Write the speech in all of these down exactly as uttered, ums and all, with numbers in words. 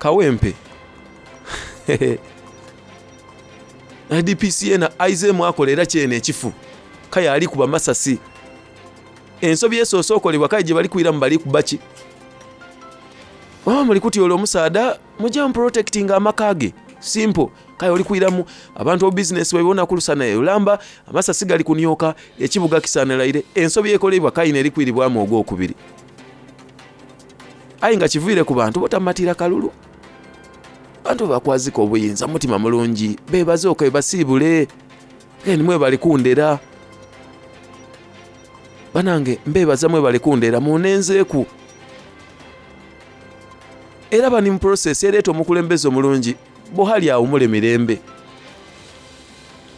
Kawempe D P C ena aizeemu akola era kyene ekifu kaya ali kuba masasi ensobi esoose okolebwa kale gye bali kwiramu bali kuba ki oba muli kutyola omusaadha mujja muprotectinga amaka ge simple kale oli kwiramu abantu obubizinesi baibona kulusana olamba amasasi gali kunyoka ekibuga kisanalaire ensobi ekolebwa kayina eri kwiribwamu ogwokubiri aye nga kiviire ku bantu botamatira kalulu bantu bakwazika obuyinza mutima mulungi bebaze oke basiibule kale nimwe bali kundera banange mbebaza mwe bali kundera munenzeeku era bani mu process ereeta omukulembeze omulungi Buhari awumule mirembe.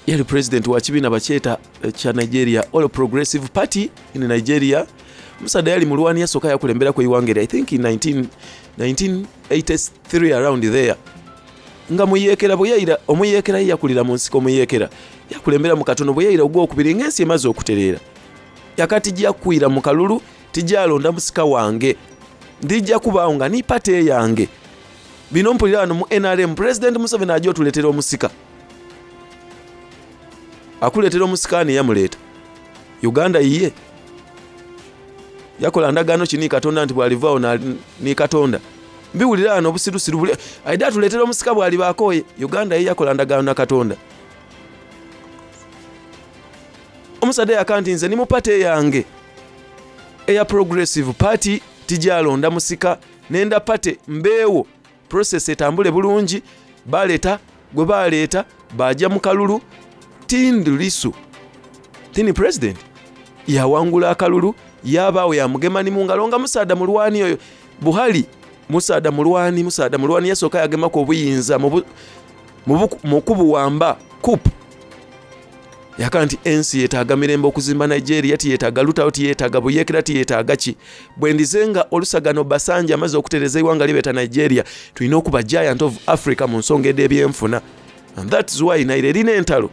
Yali president wa kibiina bakyeta kya Nigeria All Progressive Party in Nigeria. Musaadha yali mulwani yasooka yakulemberaku eighanga eryo I think in nineteen eighty-three around there. Nga muyeekera bwe yaira omuyeekera ye yakulira mu nsiko omuyeekera yakulembera mu katono bwe yaira ogwokubiri ng'ensi emaze okutereera. Yakati tijja kwira mu kalulu tijjalonda musika wange ndijja kubaawo nga ni party eyange. Bino mpulira wano mu N R M President Museveni ajja otuleetera omusika. Akuleetera omusika ani yamuleeta? Uganda yiye. Yakola ndagaano ki ni Katonda nti bw'alivaawo ni Katonda. Mbiwulira wano obusirusiru buli aidha atuleetera omusika bw'aliba akooye. Uganda ye yakola ndagaano na Katonda. Omusaadha yaka nti nze ni mu party eyange eya Progressive Party tijjalonda musika nenda party mbeewo process etambule bulungi. Baleeta gwe baleeta bajja mu kalulu. Tundu Lissu tini president yawangula akalulu yabaawo yamugema ni mu ngalo nga musaadha mulwani oyo Buhari musaadha mulwani musaadha mulwani yasooka yagemako obuyinza mu kubuwamba coup. Yaka nti ensi yeetaaga mirembe okuzimba Nigeria, tiyeetaaga lutalo, tiyeetaaga buyeekera, tiyeetaaga ki. Bwe ndize nga Olusegun Obasanjo amaze okutereeza eighanga libeeta Nigeria, tulina okuba giant of Africa mu nsonga edh'ebyenfuna. And that's why naire erina entalo.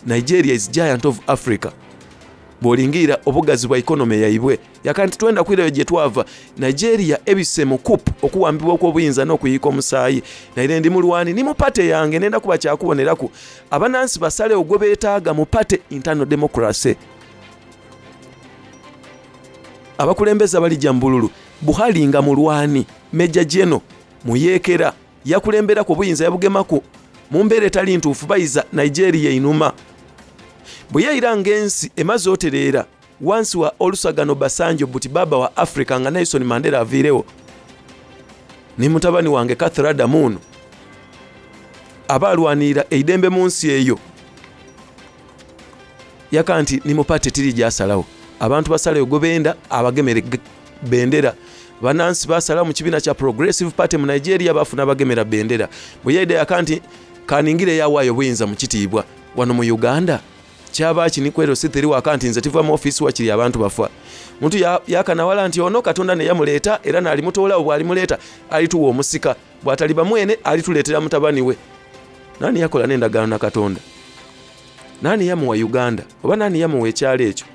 Nigeria is giant of Africa. Bw'olingiira obugazi bwa economy yaibwe. Yaka nti twenda kwirayo gye twava. Nigeria ebise mu coup okuwambibwa okw'obuyinza n'okuyiika omusaayi. Naire ndi mulwani ni mu party yange nenda kuba kyakuboneraku. Abanansi basalewo gwe beetaaga mu party internal democracy. Abakulembeze abalijja mu bululu Buhari nga mulwani, Major General muyeekera yakulemberako obuyinza yabugemaku mu mbeera etali ntuufu bayiza Nigeria einuma. Bwe yayira ng'ensi emaze otereera wansi wa Olusegun Obasanjo buti baba wa Africa nga Nelson Mandela aviirewo ni mutabani wange Catherine Adamu aba alwanirira eidembe mu nsi eyo. Yaka nti ni mu party tiri gyasalawo abantu basalewo gwe benda abagemere bendera. Banansi basalawo mu kibiina kya Progressive Party mu Nigeria bafuna abagemera bendera. Bwe yaida yaka nti kaningire yawaayo obuyinza mu kitiibwa. Wano mu Uganda kyaba ki nikwero sithiri waka nti nze tiva mu office wakiri abantu bafa. Muntu yakanawala nti ono Katonda ne yamuleeta era n'alimutoolawo bw'alimuleeta alituwa omusika bw'ataliba mwene alituleetera mutabani we. Nani yakola n'endagaano na Katonda? Nani yamuwa Uganda? Oba nani yamuwa ekyalo ekyo?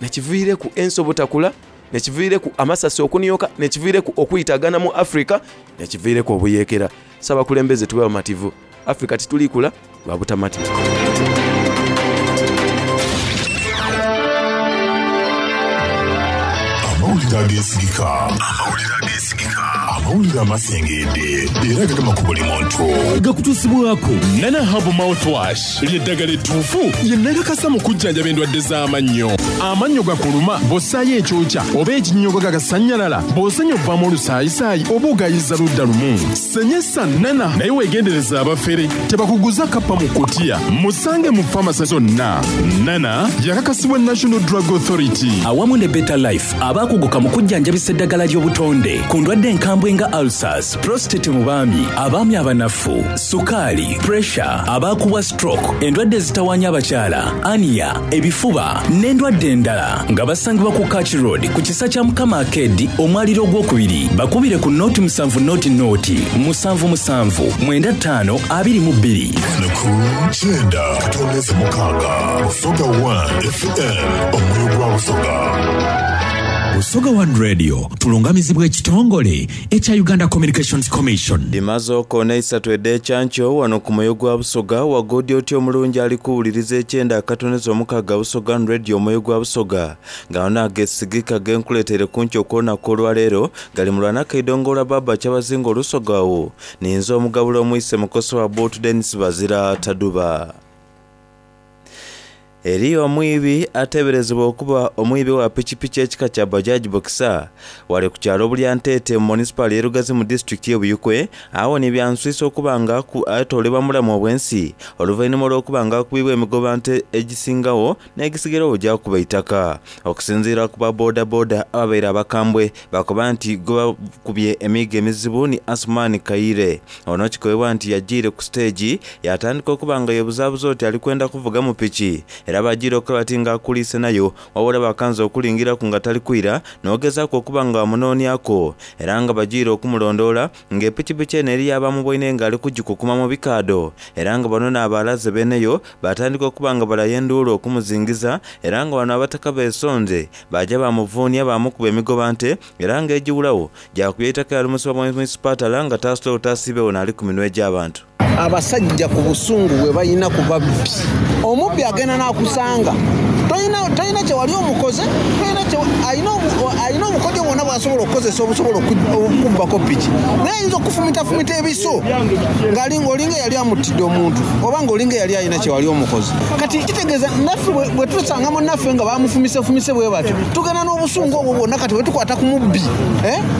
Nekiviireku ensi obutakula, nekiviireku amasasi okunyoka, nekiviireku okuyitagana mu Africa, nekiviireku obuyeekera. Ssabakulembeze tube bamativu. Africa titulikula lwa butamativu. Amawulire ageesigika. Amawulire ageesigika. Amawulire amasengedde era gagema ku buli muntu. Gakutuusibwako Nana Herbal Mouthwash ly'eddagala ettuufu lye nakakasa mu kujjanjaba endwadde z'amannyo. Amannyo gakuluma bw'ossaayo ekyokya oba ekinnyogo gagasannyalala, bw'osenya ovaamu olusaayisaayi oba ogayiza ludda lumu. Senyesa Nana naye weegendereza abafere tebakuguza kappa mu kutiya. Musange mu famasi zonna. Nana yakakasibwa National Drug Authority awamu ne Better Life abaakuguka mu kujjanjabisa eddagala ly'obutonde ku ndwadde enkambwe nga ulcers, prostate mu baami, abaami abanafu, sukaali, pressure, abaakubwa stroke, endwadde ezitawaanya abakyala, ania, ebifuba n'endwadde endala nga basangibwa ku Kach Road ku kisa kya Mukama Arcade omwaliro ogwokubiri. Bakubire ku noti musanvu noti noti musanvu musanvu mwenda ttaano abiri mu bbiri. Ku kyenda katondeze mukaaga Busoga one F M omwoyo gwa Busoga. Busoga One Radio tulungamizibwa ekitongole ekya Uganda Communications Commission. Dimaze okoona isatu ed'ekyankyo wano ku mwoyo gwa Busoga wagodi otya omulungi ali kuwuliriza ekyenda akatoneza omukaaga Busoga Radio omwoyo gwa Busoga nga ono agesigika genkuleetere ku nkyo okw'olunaku olwaleero gali mu lwanaka eidongo baba kyabazinga olusogawo ninze omugabula omwise mukoso wa Boot Dennis Bazira Taduba. Eriyo omwibi ateeberezebwa okuba omwibi wa pikipiki ekika kya Bajaj Boxer wali ku kyalo Bulyanteete mu munisipaali y'e Lugazi mu disitulikiti y'e Buyikwe awo ni byanswisa okuba nga atoolebwa mulamu obw'ensi oluvannyuma olw'okuba nga akubibwa emigobante egisingawo n'egisigairawo gyakuba eitaka. Okusinziira ku ba bodaboda ababeire abakambwe bakoba nti gwe bakubye emiigo emizibu ni Asumani Kaire. Ono kikobebwa nti yagiire ku siteegi yatandika okuba nga yebuzaabuza oti ali kwenda kuvuga mu piki era bagira okuba bati nga akuliise nayo wabula bakanza okulingiraku nga tali kwira n'ogezaako okuba nga bamunoonyako era nga bagiire okumulondoola ng'epikipiki eno eri abamubwoine nga ali kugikukuma mu bikaado era nga bano n'abalaze beneyo batandika okuba nga balayo enduulu okumuzingiza era nga bano abataka beesonze bajja bamuvuunya bamukuba emigobante era ng'egiwulawo gyakubya ettaka yalumusibwa mu munisipatala nga taasula otaasiibewo n'ali ku minwe gy'abantu. Abasajja ku busungu bwe balina ku babbi, omubbi agenda n'akusanga tolina kye wali omukoze, alina obukodyo bwonna bw'asobola okukozesa obusobola okubbako piki, naye ayinza okufumitafumita ebiso ng'olinga eyali amuttidde omuntu oba ng'olinga eyali alina kye wali omukoze. Kati kitegeeza naffe bwe tusanga munnaffe nga bamufumisefumise bwe batyo tugenda n'obusungu obwo bwonna. Kati bwe tukwata ku mubbi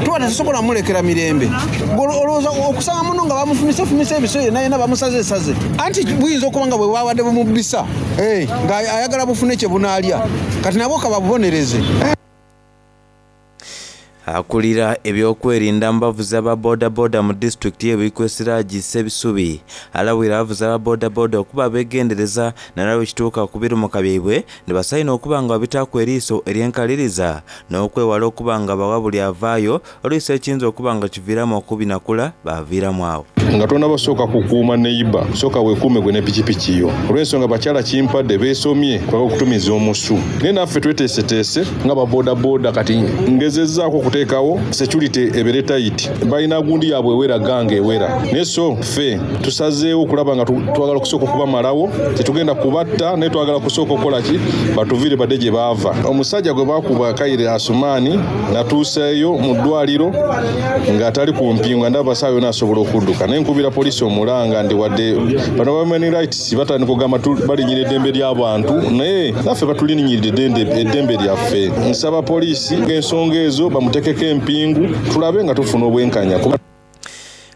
tuba tetusobola mulekera mirembe. Olowooza okusanga muno nga bamufumisefumise ebiso yenna yenna bamusazesaze, anti buyinza okuba nga bwe bwabadde bumubbisa ng'ayagala bufune kye bunaalya, kati nabwo kababubonereze. Akulira ebyokwerinda mu bavuzi aba bodaboda mu disitulikiti y'e Buikwe Siraji Sebisubi alabwira abavuzi aba bodaboda okuba abeegendereza naddala bwe kituuka ku birumuka byaibwe ne basaayina okuba nga babitaaku eriiso ery'enkaliriza n'okwewala okuba nga bawa buli avaayo oluusi ekiyinza okuba nga kiviiramu okubinakula baviiramu awo. Nga tonnabasooka kukuuma neyiba sooka weekuume gwe ne pikipiki yo olw'ensonga bakyala kimpadde beesomye kwaka okutumiza omusu naye naffe tweteeseteese nga babodaboda kati ngezezzaako okuteekawo security ebeere tight balina gundi yaabwe ewera gange ewera naye so ffe tusazeewo okulaba nga twagala okusooka okubamalawo tetugenda kubatta naye twagala kusooka okukola ki batuviire badde gye baava. Omusajja gwe baakuba Kaire Asumaani natuuseeyo mu ddwaliro ng'atali ku mpingu ndaba saawa yonna asobola okudduka naye nkubira poliisi omulanga ndi wadde bano ba human rights batandika okugamba balinyira eddembe ly'abantu naye naffe batulinyirira eddembe lyaffe. Nsaba poliisi ng'ensonga ezo bamuteekeko empingu tulabe nga tufuna obwenkanya.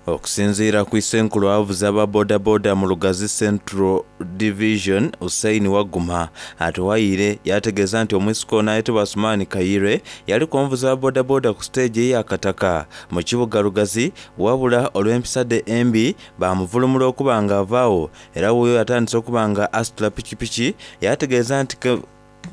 Okusinziira ku Isenkulu abavuzi aba bodaboda mu Lugazi Central Division Hussein Waguma atuwayire yategeeza nti omwisiko ono ayitibwa Asumani Kaire yali omuvuzi wa bodaboda ku siteegi ey'akataka mu kibuga Lugazi wabula olw'empisa de embi bamuvulumula okuba nga avaawo era wuuyo yatandise okuba nga asitula pikipiki yategeeza nti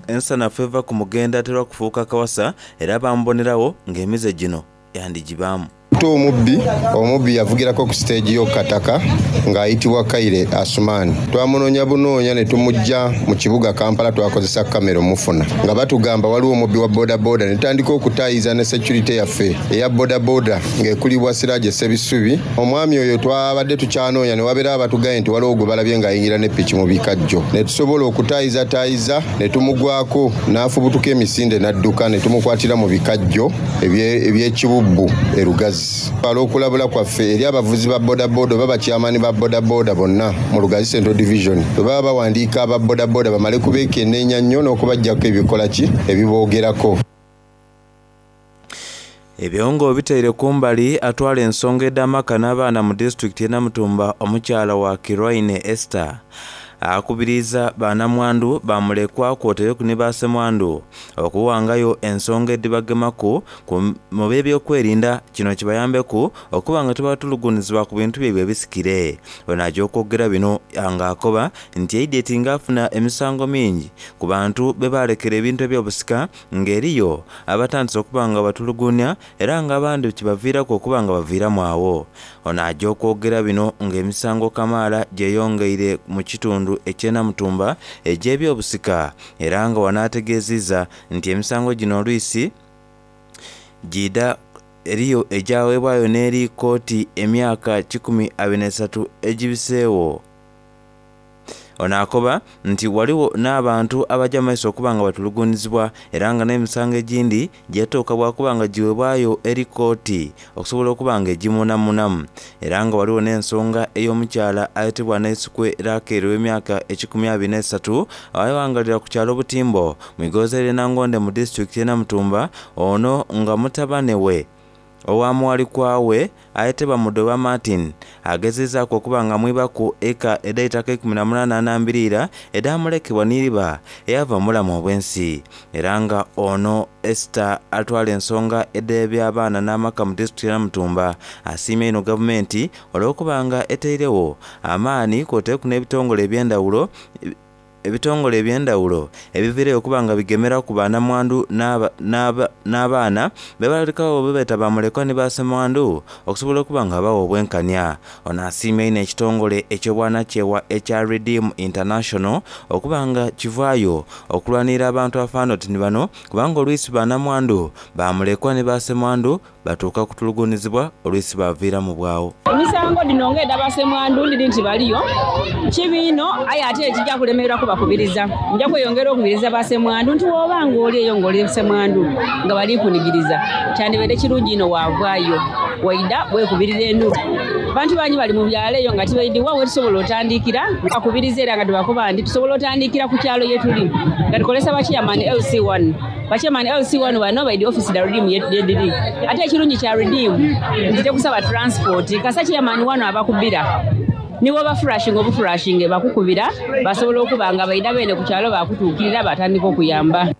ensanafu eva ku mugenda aterwa kufuuka kawasa era bamubonerawo ng'emize gino yandigibaamu. Omubbi omubbi yavugirako ku siteegi y'okataka ng'ayitibwa Kaire Asumani. Twamunoonya bunoonya ne tumujja mu kibuga Kampala twakozesa kamera omufuna nga batugamba waliwo omubbi wa bodaboda ne tutandika okutaayiza ne security yaffe eya bodaboda ng'ekulibwa Siraje Sebisubi. Omwami oyo twabadde tukyanoonya ne wabeera abatugambye nti waliwo gwe balabye ng'ayingira ne piki mu bikajjo ne tusobola okutaayizataayiza ne tumugwako n'afubutuka emisinde n'adduka ne tumukwatira mu bikajjo eby'ekibubbu e Lugazi. Olw'okulabula kwaffe eri abavuzi ba bodaboda oba bakyamaani ba bodaboda bonna mu Lugazi Central Division bwe baba bawandiika aba bodaboda bamale kubeekenneenya nnyo n'okubaggyako ebikola ki ebiboogerako. Ebyongo biteire kumbali atwala ensonga ed'amaka n'abaana mu disitulikiti y'e Namutumba omukyala wa Kirwaine Esther akubiriza bannamwandu bamulekwa kwotereku ne basemwandu okuwangayo ensonga edibagemaku mu byebyokwerinda kino kibayambeku okuba nga tebatulugunizibwa ku bintu byebwe ebisikire. Ono ajja okwogera bino ng'akoba nti Eidet ng'afuna emisango mingi ku bantu be balekera ebintu ebyobusika ng'eriyo abatandise okuba nga batulugunya era ng'abandi kibaviirako okuba nga baviiramu awo. Ono ajja okwogera bino ng'emisango kamaala gyeyongeire mu kitundu ekyenamutumba egy'ebyobusika era nga wanaategeezezza nti emisango gino oluisi Jida eriyo ejaweebwayo n'eri kooti emyaka kikumi abiri n'esatu egibiseewo. Ono akoba nti waliwo n'abantu abajja mu maiso okuba nga batulugunizibwa era nga n'emisango egindi gyetooka bwakuba nga giweebwayo eri kooti okusobola okuba nga egimunamunamu. Era nga waliwo n'ensonga ey'omukyala ayetebwa Naisukwe Rakeeri ow'emyaka ekikumi abiri n'esatu awawangalira ku kyalo Butimbo mu igoza erye Nangonde mu disitulikiti y'e Namutumba, ono nga mutabane we owamuwalikwawe ayetebwa Mudoba Martin agezezaaku okuba nga mwibaku eka ed'eitaka ikumi na munaana anambiriira edamulekebwa n'iriba eyava mu bulamu obw'ensi. Era nga ono Esther atwala ensonga ed'ebyabaana n'amaka mu disitulikiti ya Namutumba asiimye ino gavumenti olw'okuba nga eteirewo amaani kwoteeku n'ebitongole eby'endawulo ebitongole eby'endawulo ebiviireyo okuba nga bigemera ku banamwandu n'abaana bebalekawo bebeeta bamulekwa ne basemwandu okusobola okuba nga bawa obwenkanya. Ono asiimye ino ekitongole eky'obwanakyewa ekya Redeem International okuba nga kivaayo okulwanirira abantu afaana oti ni bano, kubanga olwisi banamwandu bamulekwa ne basemwandu batuuka kutulugunizibwa olwisi baviira mu bwawo. Emisango dino ng'edda basemwandu ndiri nti baliyo kibiino, aye ate ekijja kulemerera kubakubiriza. Nja kweyongera okubiriza basemwandu nti w'oba ng'oli eyo ng'oli semwandu nga bali kunigiriza, kyandibadde kirungi ino waavaayo waida weekubirira enduulu. Bantu bangi bali mu byalo eyo nga tibaidiwa we tusobola otandikira bakubiriza, era nga tubakuba nti tusobola otandikira ku kyalo ye tuli nga tukolesa bachairman L C one. Bachairman L C one bano baidi office da Redeem yediri. Ate ekirungi kya Redeem nti tekusaba transport, kasa chairman wano abakubira nibo bafurashinga obufurashinge bakukubira basobola okuba nga baida bene ku kyalo bakutuukirira batandika okuyamba.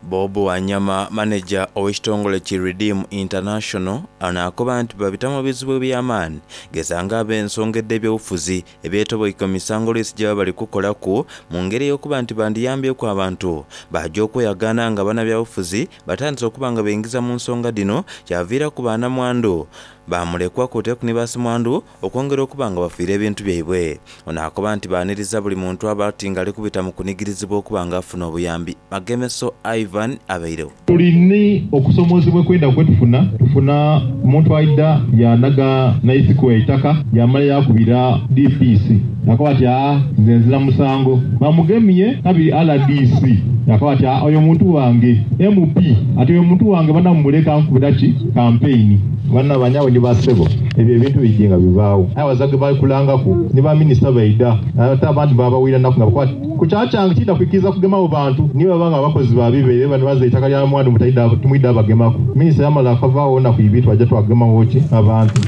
Bobo Wanyama, manager ow'ekitongole ki Redeem International, ono akoba nti babitamu ebizibu eby'amaanyi gezanga ab'ensonga ed'ebyobufuzi ebyetoboika misango olwisi gye baba bali kukolaku mu ngeri ey'okuba nti bandiyambyeku abantu bajja okweyagaana nga bannabyabufuzi batandise okuba nga beyingiza mu nsonga dino kyaviiraku banamwandu bamulekwa kuteeku ne basemwandu okwongera okuba nga bafiire ebintu byaibwe. Ono akoba nti baaniriza buli muntu aba ati nga ali kubita mu kunigirizibwa okuba nga afuna obuyambi. Magemeso Ivan abairewo. Tulina okusomozebwa kwenda kwetufuna tufuna omuntu aida yanaga naisiko eitaka yamala yakubira D P C yakoba ati aa nze nzira musango bamugemye kabiri R D C yakoba ati aa oyo muntu wange M P ati oyo muntu wange banamuleka nkubira ki campaign bana banyawe ni basebo ebyo ebintu bijje nga bibaawo. Aye abazadde balikulangaku ne baminisita baida ate abandi babawira naku nga bakwata ku kyakyange kiyita kukkiriza kugemawo bantu niyo baba nga abakozi babibeere bano baza ettaka lya mwandu mutayida tumwidde abagemaku. Minisita yamala akavaawo naku ibiri twajja twagemawo ki abantu.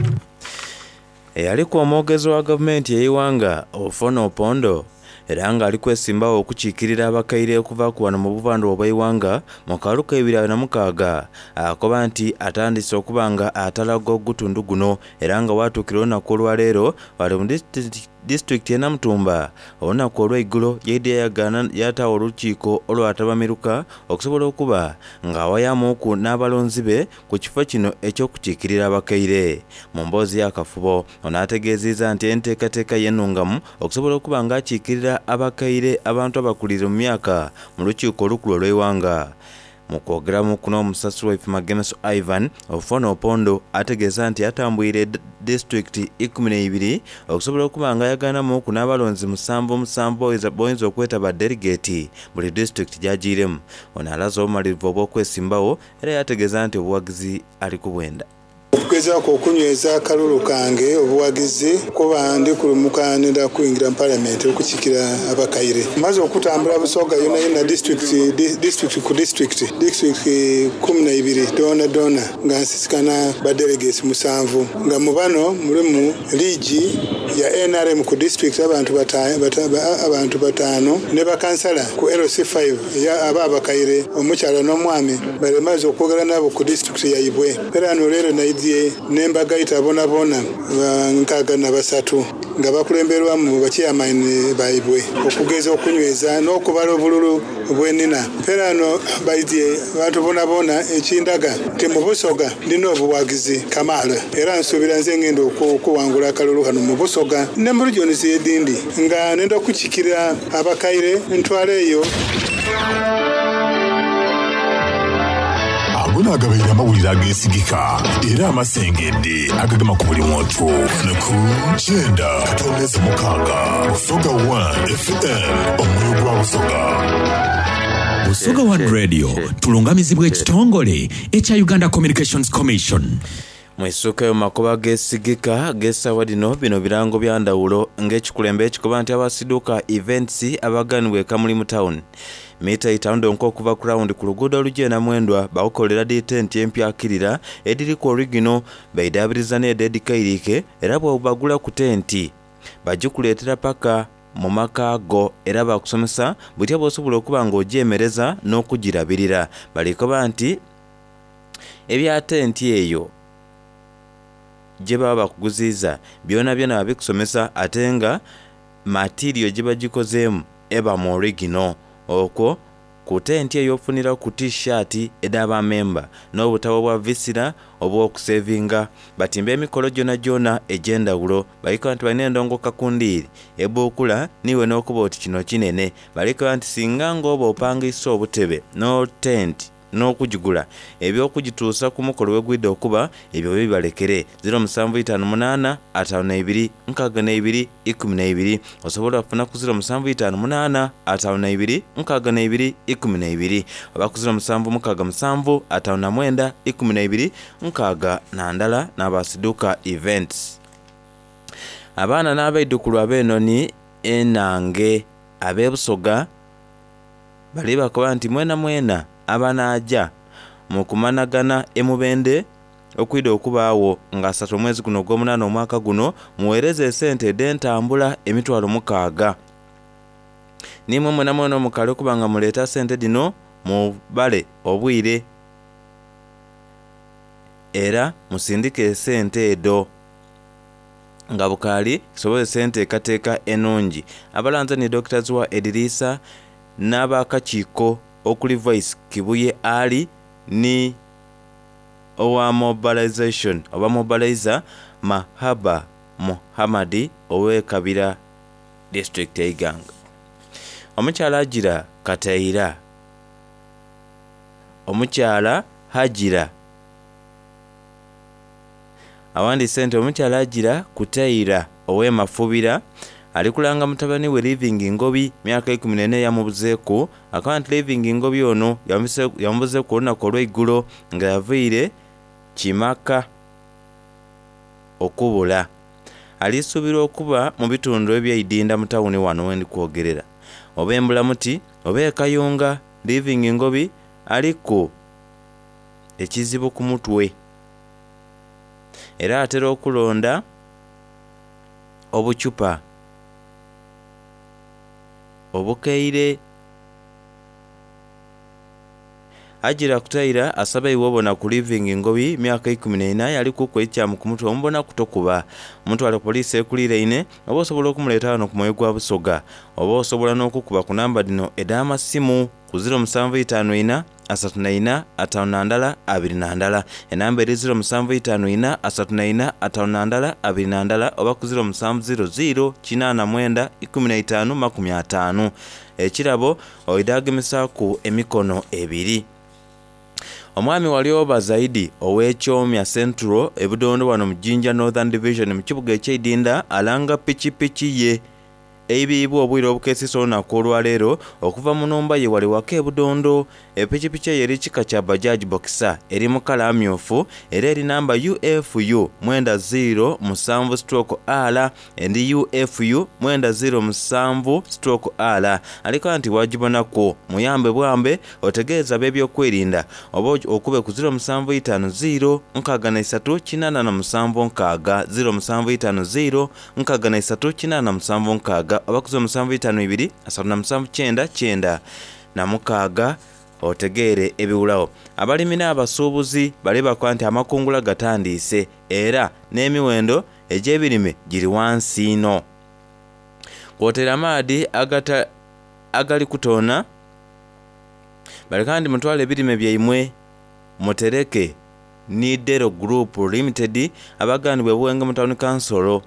Eyaliko omwogezi wa gavumenti ey'iwanga Ofono Opondo era ng'ali kwesimbawo okukiikirira abakaire okuva ku wano mu buvandwa obw'eiwanga mu kalulu k'ebibiri abiri na mukaaga akoba nti atandise okuba nga atalaga ogutundu guno era nga watuukira olunaku olwaleero wali mu disitulikiti y'e Namutumba olunaku olw'eiggulo yaidde yayagaana yataawo olukiiko olwatabamiruka okusobola okuba ng'awayamuku n'abalonzi be ku kifo kino eky'okukiikirira abakaire. Mu mboozi y'akafubo ono ategeezezza nti enteekateeka y'ennungamu okusobola okuba ng'akiikirira abakaire abantu abakulire mu myaka mu lukiiko olukulu olw'eiwanga. Mu kwogeramu kuno omusasi waife Magemeso Ivan Ofono Opondo ategeeza nti atambwire disitulikiti ikumi n'eibiri okusobola okuba nga ayagaanamuku n'abalonzi musanvu musanvu boyinza okweta ba delegate buli disitulikiti gy'agiiremu. Ono alaze obumalirivu obw'okwesimbawo era yategeeza nti obuwagizi ali ku bwenda. Okugezaako okunyweza akalulu kange obuwagizi kuba ndi kulumuka nenda kuyingira mu palamenti okukiikira abakaire. Maze okutambula Busoga yonna yonna disitulikiti disitulikiti ku disitulikiti disitulikiti kumi na ibiri doona doona nga nsisikana ba delegates musanvu nga mu bano mulimu liigi ya N R M ku disitulikiti abantu bata-, bata-, abantu bataano ne bakansala ku L C five aba abakaire omukyala n'omwami balemaze okwogera nabo ku disitulikiti yaibwe. Era no leero naidye n'embagaita bona bona nkaaga na basatu nga bakulemberwamu bachairman baibwe okugeza okunyweza n'okubala obululu bwenina. Era no baidye abantu bona bona ekindaga nti mu Busoga ndina obuwagizi kamaala era nsuubira nze ngenda okuwangula akalulu kano mu Busoga ne mu regions edindi nga nenda okukikira abakaire ntwala eyo. Gano agabaire amawulire ageesigika era amasengedde agagema ku buli muntu. Ku kyenda katondeze mukaaga Busoga one F M, omwoyo gwa Busoga. Busoga One Radio tulungamizibwa ekitongole ekya Uganda Communications Commission. Mwisuka makoba gesigika gesawa dino bino birango bya ndawulo ng'ekikulembe ekikoba nti abasiduka events abaganibwa Kamuli mu town mita itaano nko okuva ku round ku luguudo olugenda mwendwa bakukolera di tent empya akirira ediri ku original baidabiriza ne dedikairike era bw'obagula ku tenti bagikuleetera paka mu maka go era bakusomesa butya bw'osobola okuba ng'ogyemereza n'okugirabirira. Balikoba nti ebya tenti eyo gye baba bakuguziiza byona byona babikusomesa ate nga material gye bagikozeemu eba mu original. Okwo ku tenti eyo ofunira ku t-shirt ed'abamemba n'obutabo bwa visira obw'okusevinga. Batimba emikolo gyona gyona egy'endawulo. Balikoba nti balina endongo kakundiiri ebuukula niwe n'okuba oti kino kinene. Balikoba nti singa ng'oba opangisa obutebe no tenti n'okugigula ebyokugituusa ku mukolo wegwidde okuba ebyo bibalekere. Ziro musanvu itaano munaana ataano na ibiri nkaaga na ibiri ikumi na ibiri. Osobola okufuna ku ziro musanvu itaano munaana ataano na ibiri nkaaga na ibiri ikumi na ibiri oba ku ziro musanvu mukaaga musanvu ataano na mwenda ikumi na ibiri nkaaga na ndala n'abasiduka events. Abaana n'abaidukulu ab'enoni enange ab'ebusoga bali bakoba nti mwena mwena abanaaja mu kumanagana emubende okwida okubaawo nga asatu omwezi guno ogw'omunaana omwaka guno muweereze esente ed'entambula emitwalo mukaaga. Nimwe mwena mwena omukale okuba nga muleeta sente dino mubale obwire era musindike esente edo nga bukaali kisobozesa enteekateeka ennungi. Abalanze ni Dokita Zziwa Edirisa n'abakakiiko okuli Vice Kibuye Ali ni owa mobilization oba mobilizer Mahaba Muhammadi ow'e Kabira district e Iganga. Omukyala Hajira Kataira, omukyala Hajira awandiise nti omukyala Hajira Kutaira ow'e Mafubira ali kulanga mutabani we Living Ngobi myaka ikumi n'ena yamubuzeeku. Akaba nti Living Ngobi ono yamubuzeeku olunaku olw'eigulo nga yaviire Kimaka okubula. Alisuubirwa okuba mu bitundu eby'eidinda mu tawuni wano we ndikwogerera oba embulamuti oba e Kayunga. Living Ngobi aliku ekizibu ku mutwe era atera okulonda obucupa obukeire. Hajira Kutaira asaba iwe obona ku Living Ngobi myaka ikumi n'ena yali kuku ekyamu ku mutwe omubona kutokuba omutwale poliisi ekuliiraine oba osobola okumuleeta wano ku mwoyo gwa Busoga oba osobola n'okukuba ku namba dino ed'amasimu ku ziro musanvu itaano ina asatu na ina ataano na ndala abiri na ndala. Enamba eri ziro musanvu itaano ina asatu na ina ataano na ndala abiri na ndala oba ku ziro musanvu ziro ziro kinaana mwenda ikumi na itaano makumi ataano. Ekirabo oidagemisaaku emikono ebiri. Omwami Walioba Zaidi ow'Ekyomya Central ebudondo wano mu Jinja Northern Division mu kibuga eky'eidinda alanga pikipiki ye eibiibwa obwire obukeesisa olunaku olwaleero okuva mu nnumba ye wali waka ebudondo. Epikipiki eyo eri kika kya Bajaj Boxer eri mu kala amyufu era eri namba U F U mwenda ziro musanvu stroke R endi U F U mwenda ziro musanvu stroke R. Aliko nti wagibonaku muyambe bwambe otegeeza ab'ebyokwerinda oba okube ku ziro musanvu itaano ziro nkaaga na isatu kinaana na musanvu nkaaga ziro musanvu itaano ziro nkaaga na isatu kinaana na musanvu nkaaga oba ku ziro musanvu itaano ibiri asatu na musanvu kyenda kyenda na mukaaga otegeere ebiwulawo. Abalimi n'abasuubuzi bali bakola nti amakungula gatandiise era n'emiwendo egy'ebirime giri wansi ino. Kwotera amaadi agata agali kutoona baleka nti mutwale ebirime byaimwe mutereke ni Dero Group Limited abaganibwa Buwenge mu Town Council.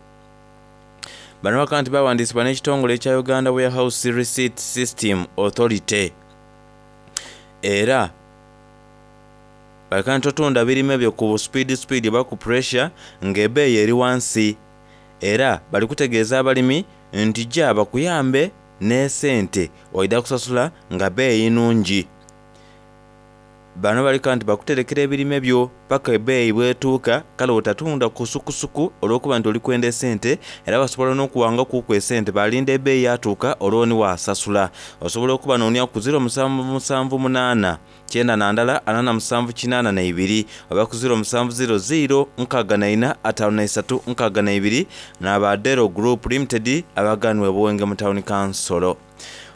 Bano bakaba nti bawandiisibwa n'ekitongole ekya Uganda Warehouse Receipt System Authority era Baleka nti totunda birime byo ku speed speed oba ku pressure ng'ebbeeyi eri wansi. Era bali kutegeeza abalimi nti ja bakuyambe n'esente oida kusasula nga bbeeyi nnungi. Bano baleka nti bakuterekera ebirime byo paka ebbeeyi bwetuuka, kale otatunda kusukusuku olw'okuba nti oli kwenda esente, era basobola n'okuwangakuku esente balinda ebbeeyi yatuuka olwo ni wasasula. Osobola okuba noonia ku ziro musanvu musanvu munaana kyenda na ndala ana na musanvu kinaana na ibiri oba ku ziro musanvu ziro ziro nkaaga na ina ataano na isatu nkaaga na ibiri n'aba Dero Group Limited abaganwa Buwenge mu Town Council.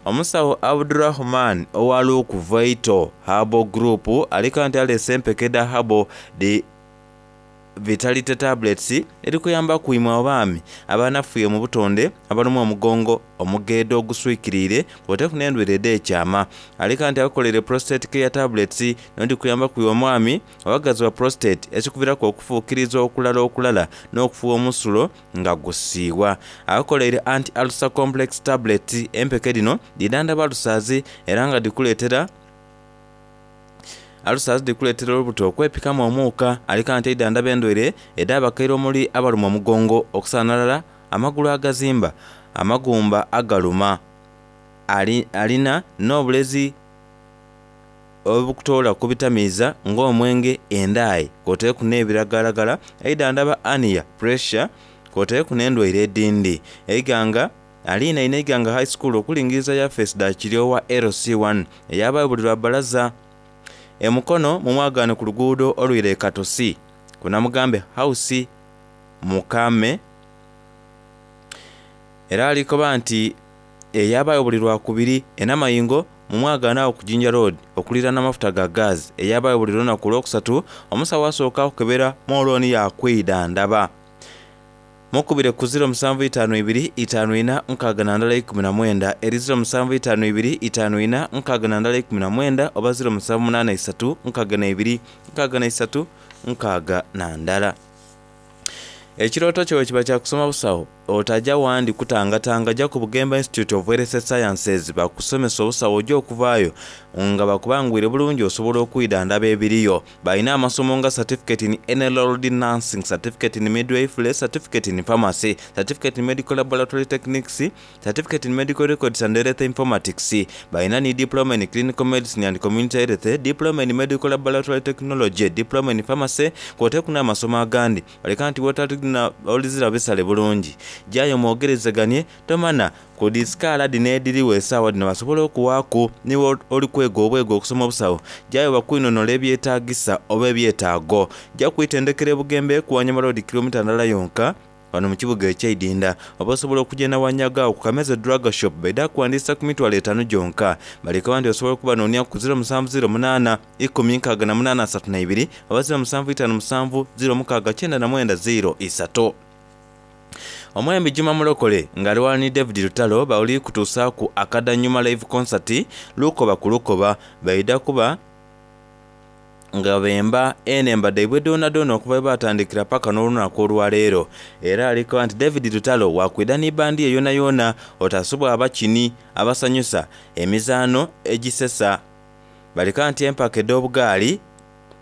Omusawo Abdurrahman owa Luke Vital Herbal Group alika nti aleese empeke dha Herbal di Vitality Tablets erikuyamba kuimwe abaami abanafuye mu butonde, abalumwa omugongo, omugeedo oguswikiriire kwoteku n'endwaire ed'ekyama. Alika nti akolere Prostate Care Tablets nondi kuyamba kuiwe omwami owagazi wa prostate ekikuviraku okufuukiriza okulala okulala n'okufuwa omusulo nga gusiiwa. Akoleire Anti Ulcer Complex Tablets, empeke dhino dhidhandhaba alusazi era nga dhikuleetera alusazi dhikuleetera olubuto okwepikamu omuuka. Alika nti eidhandhaba endwaire edh'abakaire omuli abaluma omugongo, okusaanalala amagulu agazimba, amagumba agaluma. Ali, alina n'obulezi obukutoola ku bitamiiza ng'omwenge, endaayi kwoteeku n'ebiragalalagala. Eidhandhaba hernia, pressure kwoteeku n'endwaire edindi. Eiganga alinaine Iganga High School okulingiriza yafeesi dha Kiryowa L C one eyabayo buli lwa balaza. Emukono mumwagaane ku luguudo olwire e Katosi kunamugambe House Mukame. Era alikoba nti eyabayo buli lwakubiri. Enamayingo mumwagaane awo ku Jinja Road okuliraana amafuta ga gas eyabayo buli lunaku olwokusatu. Omusawo asooka akukebera mwoloni yakwidhandhaba. Mukubire ku ziro musanvu itaano ibiri itaano ina nkaaga na ndala ikumi na mwenda eri ziro musanvu itaano ibiri itaano ina nkaaga na ndala ikumi na mwenda oba ziro musanvu munaana isatu nkaaga na ibiri nkaaga na isatu nkaaga na ndala. Ekirooto kyo kiba kya kusoma busawo, otajja wandi kutangatanga, jja ku Bugembe Institute of Health Sciences bakusomesa obusawo ojja okuvaayo nga bakubangwire bulungi osobola okwidhandhaba ebiriyo. Balina amasomo nga certificate in enrolled nursing, certificate in midwifery, certificate in pharmacy, certificate in medical laboratory techniques, certificate in medical records and health informatics. Balina ni diploma in clinical medicine and community health, diploma in medical laboratory technology, diploma in pharmacy kwoteeku n'amasomo agandi. Baleka nti wotalina olizira bisale bulungi, jayo mwogerezeganye tomana ku disikaala dhino edhiriwo esaawa dhino basobole okuwaaku niwe oli kwega obwega okusoma obusawo. Jayo bakwinhonola ebyetaagisa oba ebyetaago. Ja kwitendekera e Bugembe ku Wanyama Road kilomita ndala yonka wano mu kibuga ekyeidinda, oba osobola okugenda Wanyaga awo ku Kameze Drug Shop baidha kuwandiisa ku mitwalo etaano gyonka. Baleka nti osobola okuba noonia ku ziro musanvu ziro munaana ikumi nkaaga na munaana asatu na ibiri oba ziro musanvu itaano musanvu ziro mukaaga kyenda na mwenda ziro isatu. Omwembi Juma Mulokole ng'ali wala ni David Lutalo bawuli kutuusaaku akadanyuma live concert lukoba ku lukoba. Baidha kuba nga bemba enemba dhaibwe dhoonadhoona okuva bwe batandikira paka n'olunaku olwaleero. Era alikoba nti David Lutalo wakwidha ni bandi ye yonayona otasubwa abakini abasanyusa emizaano egisesa. Baleka nti empaka edh'obugaali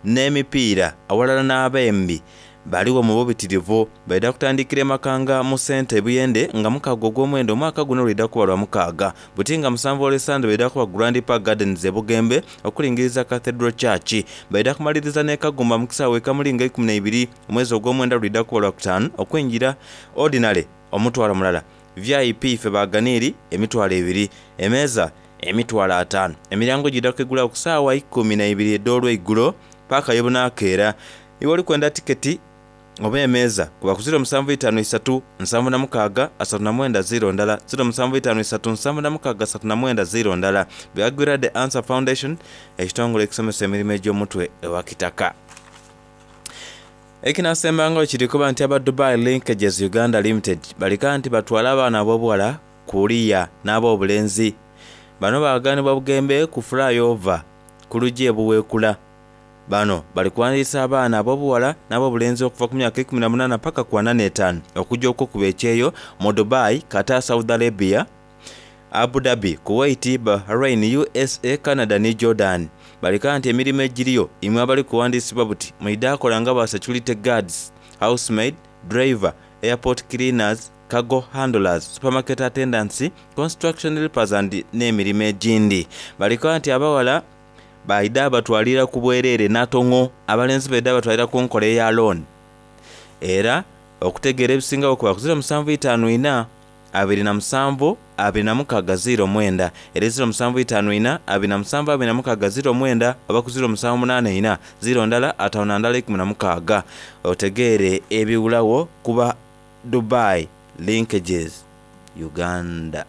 n'emipiira awalala n'abembi baliwo mu bubitirivu. Baidha kutandikira e Makanga mu sente Buyende nga mukaaga ogw'omwenda omwaka guno lwidha kuba lwa mukaaga. Buti nga musanvu olw'esande baidha kuba Grand Park Gardens e Bugembe okulingiriza Cathedral Church. Baidha kumaliriza n'e Kagumba mu kisaawe e Kamulinga ikumi na ibiri omwezi ogw'omwenda lwidha kuba lwa kutaanu okwingira ordinary omutwalo mulala, V I P ife baganiiri emitwalo ebiri, emeeza emitwalo ataano. Emiryango gidha kwigulawo ku saawa ikumi na ibiri edh'olweigulo paka yebunakeera. Iwe oli kwenda tiketi oba emeeza kuba ku ziro musanvu itaano isatu nsanvu na mukaaga asatu na mwenda ziro ndala ziro musanvu itaano isatu nsanvu na mukaaga asatu na mwenda ziro ndala. Byagwira The Answer Foundation, ekitongole ekisomesa emirimu egy'omutwe ewa Kitaka. Ekinasembangawo kiri kuba nti aba Dubai Linkages Uganda Limited balika nti batwala abaana ab'obuwala kuliya n'ab'obulenzi. Bano baganibwa Bugembe ku flyover ku luggi e Buweekula. Bano bali kuwandiisa abaana ab'obuwala n'ab'obulenzi okuva ku myaka ikumi na munaana paka ku ana n'etaano okujja okwokuba ekyeyo mu Dubai, Qatar, Saudi Arabia, Abu Dhabi, Kuwait, Bahrain, U S A, Canada ni Jordan. Baleka nti emirimu egiriyo imwe abali kuwandiisibwa buti mwidha kola nga ba security guards, housemaid, driver, airport cleaners, cargo handlers, supermarket attendants, construction helpers and n'emirimo egindi. Baleka nti abawala baidha batwalira ku bwereere n'atongo, abalenzi baidha batwalira ku nkola eya loan. Era okutegeera ebisingawo kuba ku ziro musanvu itaanu ina abiri na musanvu abiri na mukaaga ziro mwenda, era ziro musanvu itaanu ina abiri na musanvu abiri na mukaaga ziro mwenda, oba ku ziro musanvu munaana ina ziro ndala ataano na ndala ikumi na mukaaga, otegeere ebiwulawo kuba Dubai Linkages Uganda.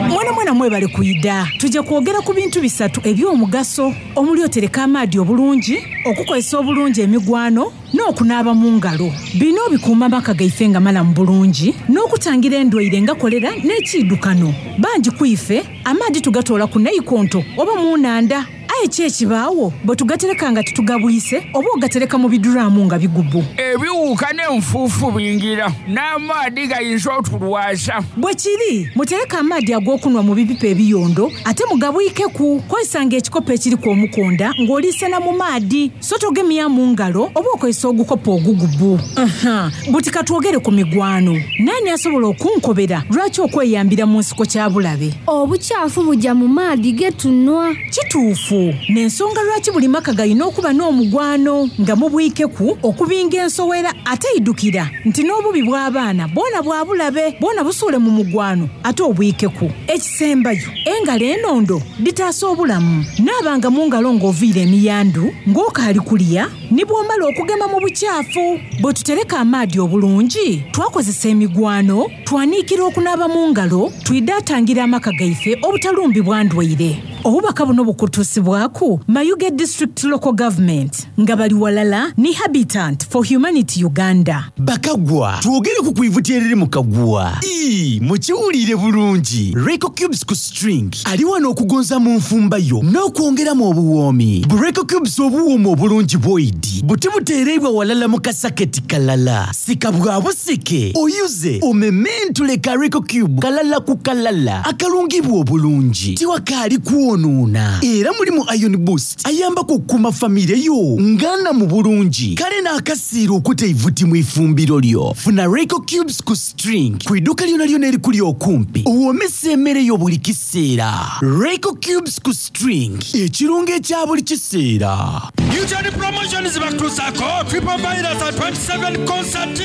Mwana mwana mwebale kwida. Tujja kwogera ku bintu bisatu eby'omugaso omuli otereka amaadi obulungi, okukozesa obulungi emigwano n'okunaaba mu ngalo. Bino bikuuma amaka gaife nga malamu bulungi n'okutangira endwaire nga kolera n'ekiidukano. Bangi ku ife amaadi tugatoola ku naikonto oba mu nnanda. Aye ki ekibaawo bwe tugatereka nga titugabwise oba ogatereka mu biduraamu nga bigubu. Ebiwuka n'enfuufu bingira n'amaadi gayinza otulwaza. Bwe kiri, mutereke amaadi ag'okunwa mu bipipa ebiyondo ate mugabwikeku. Kozesanga ekikopo ekiriku omukonda ng'oliisena mu maadi, so togemya mu ngalo oba okozesa ogukopo ogugubu. Aha, buti katwogere ku migwano. Naani asobola okunkobera lwaki okweyambira mu nsiko kya bulabe? Obukyafu bujja mu maadi ge tunwa. Kituufu. N'ensonga lwaki buli maka galina okuba n'omugwano nga mubwikeku okubinga ensowera ate idukira nti n'obubi bw'abaana bwona bwa bulabe, bwona busuule mu mugwano ate obwikeku. Ekisembayo, engalo enondo ditaasa obulamu. Naabanga mu ngalo ng'oviira emiyandu, ng'okaali kulya, ni bw'omala okugema mu bukyafu. Bwe tutereka amaadi obulungi, twakozesa emigwano, twaniikira okunaaba mu ngalo, twidaatangira amaka gaife obutalumbibwa ndwaire. Obubaka buno bukutuusibwaku Mayuge District Local Government nga bali walala ni Habitat for Humanity Uganda. Bakagwa, twogere ku kwivuti eriri mu kagwa. Ii, mukiwulire bulungi. Reco Cubes ku string ali wano okugonza mu nfumba yo n'okwongeramu obuwoomi. Bu Reco Cubes obuwooma obulungi bwoidi buti buteereibwa walala mu kasaketi kalala. Sika bwa busike, oyuze, omementule ka Reco Cube kalala ku kalala akalungibwa obulungi. Tiwakaali kwonoona. Era mulimu Iron Boost ayambako okukuuma famire yo ngana mu bulungi. Kale n'akasiira okuta eivuti mu ifumbiro lyo. Funa Reco Cubes ku string ku idduka lyona lyona erikuli okumpi owoomesa emmere yo buli kiseera. Reco Cubes ku string, ekirungo ekya buli kiseera. Newton Promotions bakutuusaako Triple Virus at twenty-seven concert.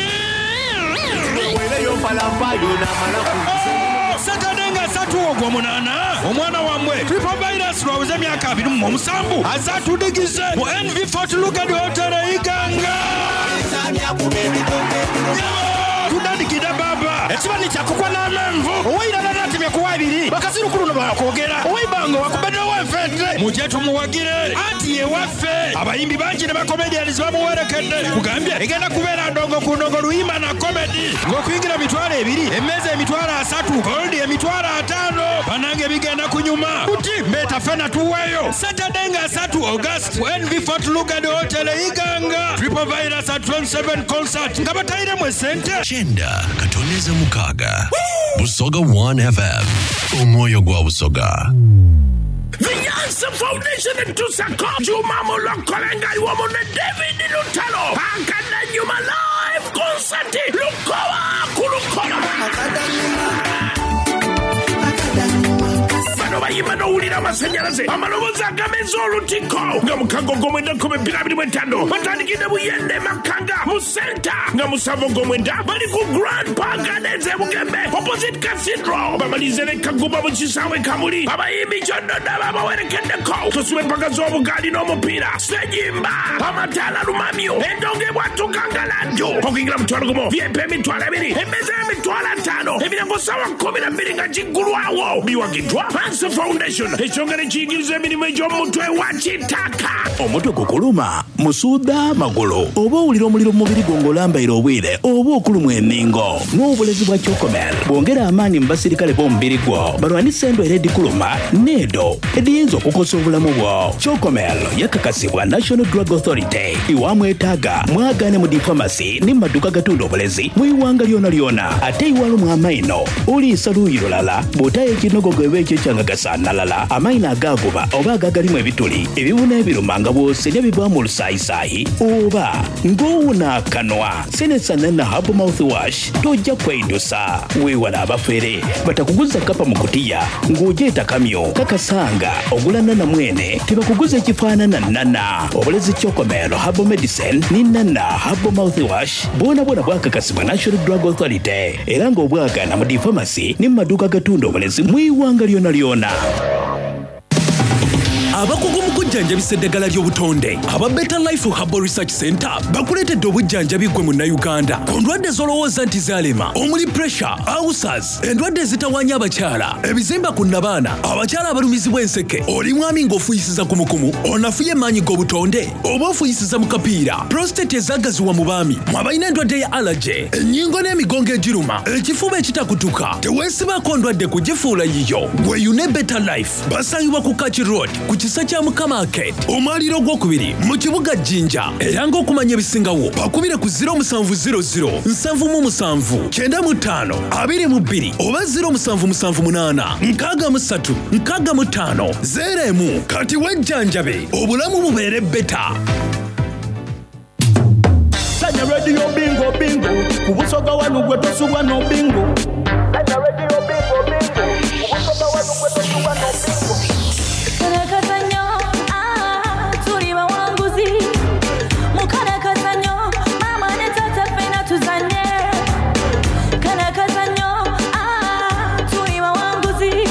Saturday nga ssatu ogw'omunaana omwana wammwe Triple Virus lwaweze emyaka abiri mu omusanvu azatudigize mu N V Fort Lugard Hotel e Iganga. Tutandikidde baba ekibani kyakukwa n'amenvu owairala natemye kuwa ebiri bakazirukulu no bakwogera owaibango wakubeddewo enfente mujje tumuwagire anti ye waffe abayimbi bangi ne bakomedians bamuwerekedde kugambye egenda kubeera ndongo ku ndongo luyimba na komedi ng'okuyingira mitwalo ebiri emmeeza emitwalo asatu gold emitwalo ataano banange bigenda kunyuma kuti mbeeta ffena tuweeyo Saturday nga asatu August ku N V Fort Lugard Hotel e Iganga. Triple Virus at twenty-seven concert nga batayiremu esente. Kyenda katoneze mukaaga. Busoga one F M. Omwoyo gwa Busoga. The Yansa Foundation in Tusako. Juma Mulokolenga Iwomune David Lutalo. Akada Nyuma Live Concert. Lukowa Kulukola. Bano bayimba n'owulira amasannyalaze amaloboozi agameza olutiko nga mukago ogw'omwenda nkumi bbiri abiri mu etaano batandikidde Buyende Makanga mu senta nga musanvu ogw'omwenda bali ku Grand Park Gardens e Bugembe opposite Cathedral bamalize ne Kaguba mu kisaawe Kamuli abayimbi kyonna babawerekeddeko tusibe empaka z'obugaali n'omupiira sejimba amataala lumamyo endongo ebwatuka nga laddu okuyingira mutwalo gumu V I P emitwalo ebiri emmeeza y'emitwalo ataano emiryango ssaawa kkumi na bbiri nga giggulwawo biwagiddwa Hansa Foundation ekyongera ekiyigiriza emirimu egy'omutwe wa kitaka. Omutwe gukuluma, musuuda magulu, oba owulira omuliro mu mubiri gwo ng'olambaire obwire oba okulumwa enningo. N'obulezi bwa Chocomel bwongera amaanyi mu basirikale b'omubiri gwo balwanise endwaire edikuluma n'edo ediyinza okukosa obulamu bwo. Chocomel yakakasibwa National Drug Authority. Iwamwetaaga mwagaane mu difamasi ne mu maduuka agatunda obulezi mu iwanga lyona lyona. Ate iwalumwa amaino oliisa luuyi lulala bw'otayo ekinogogo eba ekyo ekyangagasa okusanalala, amaino agagoba oba agagalimu ebituli, ebibuna ebiruma nga bw'oserya bivaamu olusaayisayi oba ng'owona akanwa. Senesa Nana Herbal Mouthwash tojja kweidusa. Weewala abafere batakuguza kapa mu kutiya ng'ogyeta kamyo kakasanga ogula nana mwene tebakuguza ekifaanana nana. Obulezi Chocomel Herbal Medicine ni Nana Herbal Mouthwash bwona bwona bwakakasibwa National Drug Authority era ng'obwagana mu difamasi ne mu maduuka agatunda obulezi mu iwanga lyona lyona. Abakugu mu kujjanjabisa eddagala ly'obutonde aba Better Life Herbal Research Center bakuleetedde obujjanjabi ggwe munnayuganda ku ndwadde z'olowooza nti zaalema, omuli pressure, ulcers, endwadde ezitawaanya abakyala, ebizimba ku nnabaana, abakyala abalumizibwa enseke, oli mwami ng'ofuuyisiza kumukumu, onafuye emaanyi g'obutonde oba ofuuyisiza mu kapiira, prostate ezaagaziwa mu baami, mwe abalina endwadde ya allergy, ennyingo n'emigongo egiruma, ekifuba ekitakutuka, teweesibaako ndwadde kugifuula yiyo. Weeyune Better Life. Basangibwa ku Kaki Road ku kisa kya Mukama Arcade, omwaliiro ogwokubiri mu kibuga Jinja. Era ng'okumanya ebisingawo bakubire ku zero musanvu zero zero nsanvu mu musanvu kyenda mu ttaano abiri mu bbiri oba zero musanvu musanvu munaana nkaaga mu ssatu nkaaga mu ttaano zero emu. Kati wejjanjabe obulamu bubeere better. Sanya Radio Bingo Bingo ku Busoga wanu gwe tosubwa no bingo. Sanya Radio Bingo Bingo ku Busoga wanu gwe tosubwa no bingo. Karakazanyo, ah, tuli bawanguzi. Mukarakazanyo, mama ne tata ffenna tuzanye. Karakazanyo, ah, tuli bawanguzi.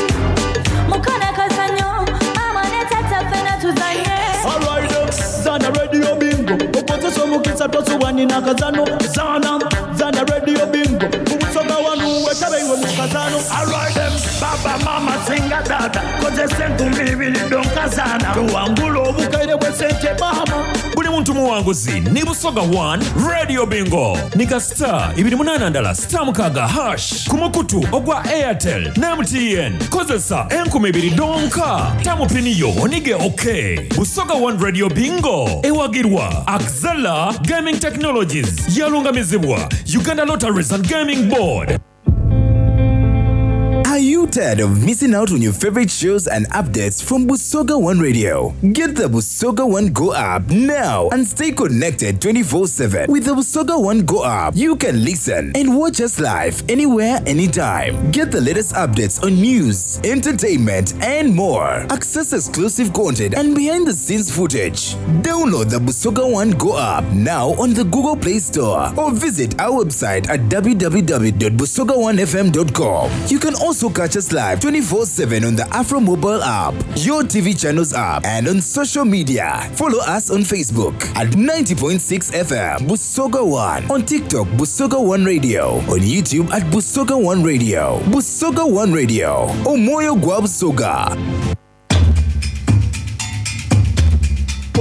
Mukarakazanyo, mama ne tata ffenna tuzanye. Alright, zana Radio Bingo okozesa omukisa tosubwa nina kazano. Zana zana Radio Bingo ku Busoga wanu wetabe iwe mu kazano. Alright, baba mama singa dada kozesa enkumi ibiri donkazana towangula obukaire bw'esente mama. Buli muntu muwanguzi ni Busoga one Radio Bingo nika star ibiri munana ndala star mukaga hash ku mukutu ogwa Airtel ne M T N. Kozesa enkumi ibiri donka tamupiniyo onige. Ok, Busoga one Radio Bingo ewagirwa Axela Gaming Technologies, yalungamizibwa Uganda Lotteries and Gaming Board. Are you tired of missing out on your favorite shows and updates from Busoga One Radio? Get the Busoga One Go app now and stay connected twenty-four seven. With the Busoga One Go app, you can listen and watch us live anywhere, anytime. Get the latest updates on news, entertainment, and more. Access exclusive content and behind the scenes footage. Download the Busoga One Go app now on the Google Play Store or visit our website at w w w dot busoga one f m dot com. You can also catch us live twenty-four seven on the Afro Mobile app, your T V channels app, and on social media. Follow us on Facebook at ninety point six F M Busoga one, on TikTok Busoga one Radio, on YouTube at Busoga one Radio. Busoga one Radio, Omwoyo gwa Busoga.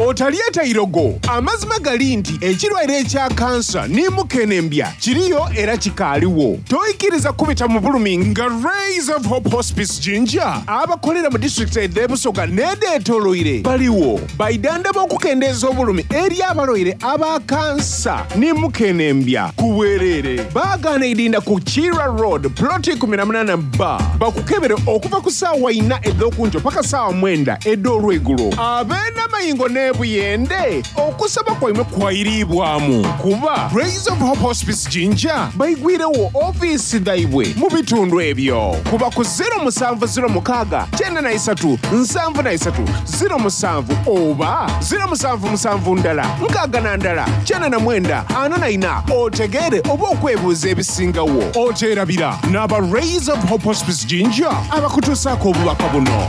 Otalyeta irogo. Amazima gali nti ekirwaire ekya kansa ne mukenembya kiriyo era kikaaliwo. Toyikiriza kubita mu bulumi nga Rays of Hope Hospice Jinja abakolera mu disitulikiti ed'ebusoga n'edeetoloire baliwo baidanda b'okukendeeza obulumi eri abalwaire aba kansa ne mukenembya ku bwereere. Baagaana idinda ku Kira Road ploti eighteen ba bakukebere okuva ku ssaawa ina ed'okunjo paka ssaawa mwenda ed'olwegulo. Ab'enamayingo n'ebuyende okusaba kwaimwe kwayiriibwamu kuba Rays of Hope Hospice Jinja baigwirewo ofiisi dhaibwe mu bitundu ebyo. Kuba ku zero musanvu zero mukaaga kyenda na isatu nsanvu na isatu zero musanvu oba zero musanvu musanvu ndala nkaaga na ndala kyenda na mwenda ana na ina otegeere oba okwebuuza ebisingawo. Oteerabira n'aba Rays of Hope Hospice Jinja abakutuusaako obubaka buno.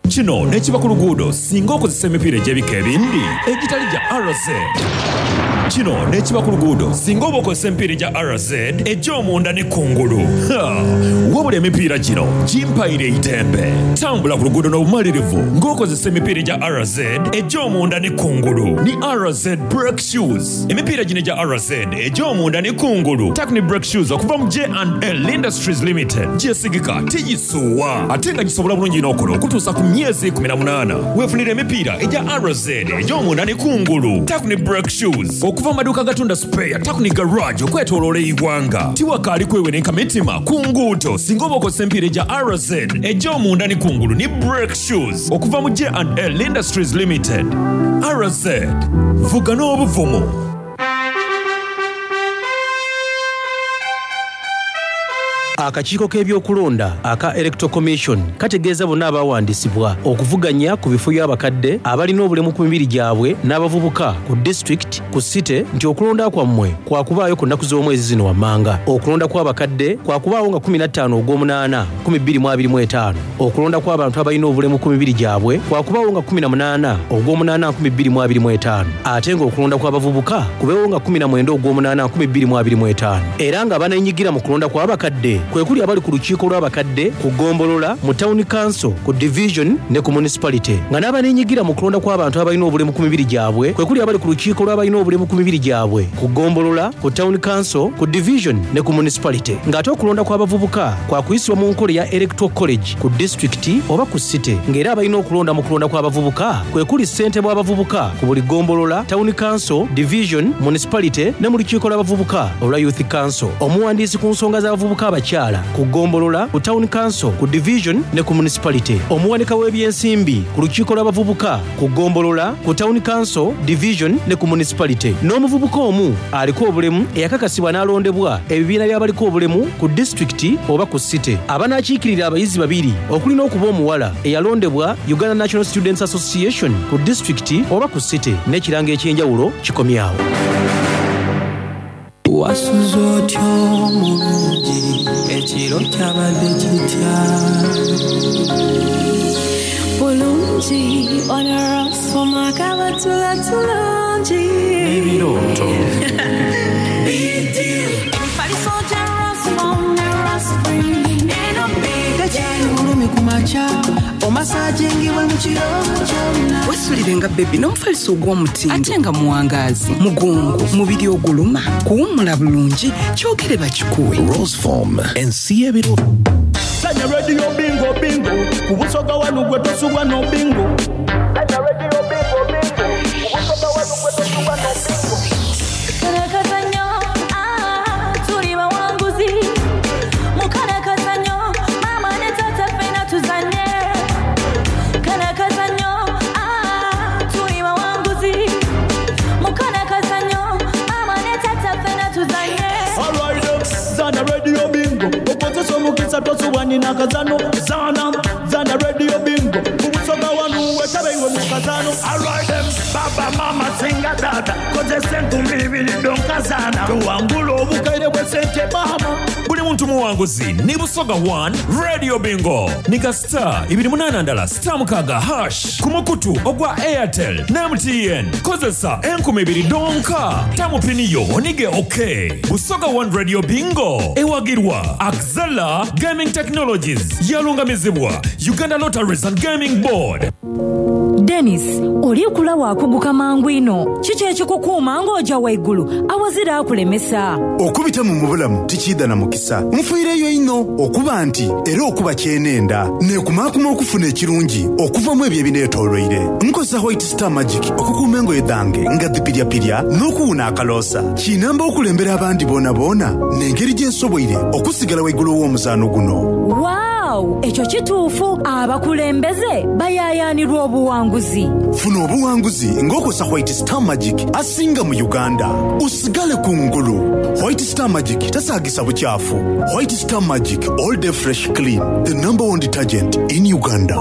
Kino nekiba ku luguudo singa okozesa emipiira egy'ebika ebindi egitali gya R Z. Kino nekiba ku luguudo singa oba okozesa emipiira egya R Z egy'omunda ne kungulu. Ha! Wabula emipiira gino gimpaire eitembe. Tambula ku luguudo n'obumalirivu ng'okozesa emipiira egya R Z egy'omunda ne kungulu ni R Z Brake Shoes. Emipiira gino egya R Z egy'omunda ne kungulu Takni Brake Shoes okuva mu J and L Industries Limited gyesigika tigisuuwa ate nga gisobola bulungi n'okola okutuusa ku myezi eighteen. Weefunira emipiira egya R Z egy'omunda ne kungulu Takni Brake Shoes okuva Okuva mu maduuka agatunda spare Takuni Garage okwetooloola eggwanga. Tiwakaali kwewerenka mitima ku nguudo singa oba okozesa emipiira egya R Z egy'omunda ne kungulu ni brake shoes okuva mu J and L Industries Limited. R Z, vuga n'obuvumu. Akakiiko k'ebyokulonda aka Electoral Commission kategeeza bonna abawandiisibwa okuvuganya ku bifo by'abakadde abalina obulemu ku mibiri gyabwe n'abavubuka ku district ku city nti okulonda kwammwe kwakubaayo ku nnaku z'omwezi zino wammanga. Okulonda kw'abakadde kwakubaawo nga kkumi na ttaano ogw'omunaana nkumi bbiri mu abiri mu etaano. Okulonda kw'abantu abalina obulemu ku mibiri gyabwe kwakubaawo nga kkumi na munaana ogw'omunaana nkumi bbiri mu abiri mu etaano. Ate ng'okulonda kw'abavubuka kubeewo nga kkumi na mwenda ogw'omunaana nkumi bbiri mu abiri mu etaano. Era nga baneenyigira mu kulonda kw'abakadde kwe kuli abali ku lukiiko lw'abakadde ku ggombolola, mu town council, ku division ne ku municipality. Nga n'abaneenyigira mu kulonda kw'abantu abalina obulemu ku mibiri gyabwe kwe kuli abali ku lukiiko lw'abalina obulemu ku mibiri gyabwe ku ggombolola, ku town council, ku division ne ku municipality. Ng'ate okulonda kw'abavubuka kwakuyisibwa mu nkola eya Electoral College ku disitulikiti oba ku city. Ng'era abalina okulonda mu kulonda kw'abavubuka kwe kuli ssentebe w'abavubuka ku buli ggombolola, town council, division, municipality ne mu lukiiko lw'abavubuka olwa Youth Council. Omuwandiisi ku nsonga z'abavubuka abakyala ku ggombolola, ku town council, ku division ne ku municipality. Omuwanika w'ebyensimbi ku lukiiko lw'abavubuka ku ggombolola, ku town council, division ne ku municipality. N'omuvubuka omu aliko obulemu eyakakasibwa n'alondebwa ebibiina by'abaliko obulemu ku disitulikiti oba ku city. Abanaakiikirira abayizi babiri okuli n'okuba omuwala eyalondebwa Uganda National Students Association ku disitulikiti oba ku city n'ekirango eky'enjawulo kikomyawo. Wasuze otyo omulungi, ekiro kyabadde kitya? Bulungi, onarasoma kabatula tulungi. Ebirooto. Emifaliso gya Rasfom ne Rasfree eno big Tekyali bulumi ku makya, omasajingibwa mu kiro kyonna. Wesulire nga bebi n'omufaliso ogw'omutindo ate nga muwangaazi, mugongo, mubiri oguluma, kuwummula bulungi, kyogere bakikuwe. Roseform, ensi y'ebiro. Sanya radio bingo bingo, ku Busoga wano gwe tosubwa no bingo. Sanya radio bingo bingo, ku Busoga wano gwe tosubwa no bingo. Karakazanyo, ah, tuli bawanguzi. Mukarakazanyo, mama ne tata ffenna tuzanye. Karakazanyo, ah, tuli bawanguzi. Mukarakazanyo, mama ne tata ffenna tuzanye. All right, zana radio bingo, okozesa omukisa tosubwa nina kazano. Zana, zana radio bingo, ku Busoga wano wetabe iwe mu kazano. All right, them, baba mama singa dada, kozesa enkumi ibiri donkazana. Tuwangula obukaire bw'essente mama. Buli muntu muwanguzi ni Busoga one Radio Bingo. Nika star ibiri munana ndala star mukaaga hash ku mukutu ogwa Airtel ne M T N. Kozesa enkumi ibiri donka. Tamu pini yo onige okay. Busoga one Radio Bingo ewagirwa Axela Gaming Technologies yalungamizibwa Uganda Lotteries and Gaming Board. Dennis, oli kula wakuguka mangu ino. Kiki ekikukuuma ng'ojja waggulu awazira akulemesa? Okubita mu mubulamu tikiida na mukisa. Nfiireyo ino okuba nti era okuba kyenenda neekumaakuma okufuna ekirungi okuva mu ebyo ebineetoolweire. Nkozesa White Star Magic okukuuma engoye dhange nga dhipiryapirya n'okuwuna akaloosa. Kinamba okulembera abandi boonaboona n'engeri gye nsoboire okusigala waggulu w'omuzaano guno. Waaw, ekyo kituufu. Abakulembeze bayaayaanirwa obuwanguzi. Funa obuwanguzi ng'okozesa White Star Magic asinga mu Uganda. Osigale ku ngulu. White Star Magic tasaagisa bukyafu. White Star Magic all day fresh clean, the number one detergent in Uganda.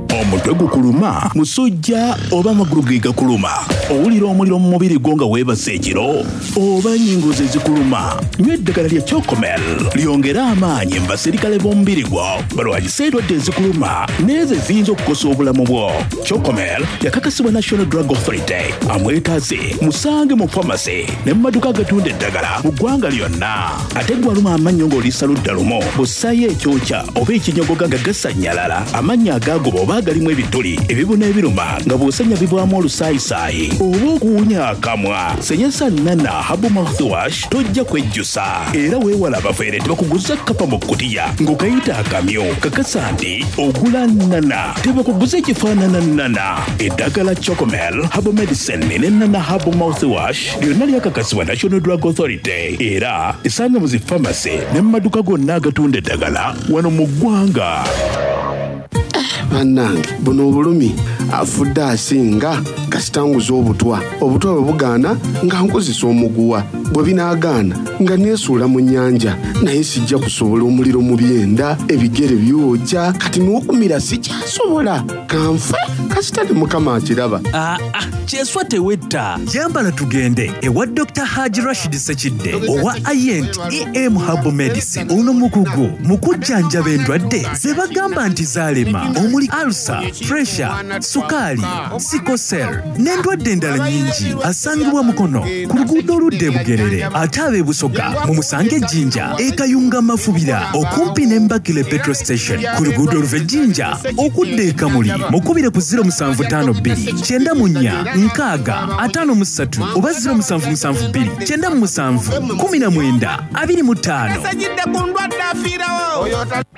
Omutwe gukuluma, musujja oba amagulu ge gakuluma. Owulira omuliro mu mubiri gwo nga weebase ekiro oba ennyingo ze zikuluma. Nywa eddagala lya Chocomel lyongere amaanyi mu basirikale b'omubiri gwo balwanyise endwadde ezikuluma n'ezo eziyinza okukosa obulamu bwo. Chocomel yakakasibwa National Drug Authority. Amwetaaze musange mu pharmacy ne mu maduuka agatunda eddagala mu ggwanga lyonna. Ate gwe aluma amannyo ng'oliisa ludda lumu, bw'ossaayo ekyokya oba ekinyogoga nga gasannyalala, amannyo agaagoba oba agalimu ebituli, ebibuna ebiruma nga bw'osenya bivaamu olusaayisaayi oba okuwunya akamwa. Senyesa Nana Herbal Mouthwash tojja kwejjusa. Era weewala abafeere tebakuguza kkapa mu kkutiya ng'okayita akamyu. Kakasa nti ogula Nana, tebakuguza ekifaanana Nana. Eddagala Chocomel Herbal Medicine ne Nana Herbal Mouthwash lyonna lyakakasibwa National Drug Authority era esanga mu zi pharmacy ne mu maduuka gonna agatunda eddagala wano mu ggwanga. Bannange, buno obulumi afudde asinga kasitanguza obutwa. Obutwa bwe bugaana nga nkozesa omuguwa, bwe binaagaana nga neesuula mu nnyanja, naye sijja kusobola omuliro mu byenda, ebigere byokya, kati n'okumira sikyasobola. Kanfe kasita ne Mukama akiraba. Aa, kyeswa tewetta. Yambala tugende ewa Doctor Haji Rashid Sekidde owa Ient E M Herbal Medicine. Ono mukugu mu kujjanjaba endwadde ze bagamba nti zaalema, omuli ulcer, pressure, sukaali, sickle cell n'endwadde endala nnyingi. Asangibwa Mukono ku luguudo oludda e Bugerere, ate ab'e Busoga mumusange Ejjinja e Kayunga Mafubira okumpi ne Mbakile petrol station ku luguudo oluva Ejjinja okudda e Kamuli. Mukubire ku zero musanvu ttaano bbiri kyenda mu nnya nkaaga ataano mu ssatu oba zero musanvu musanvu bbiri kyenda mu musanvu kumi na mwenda abiri mu ttaano. Sajidde ku ndwadde afiirawo.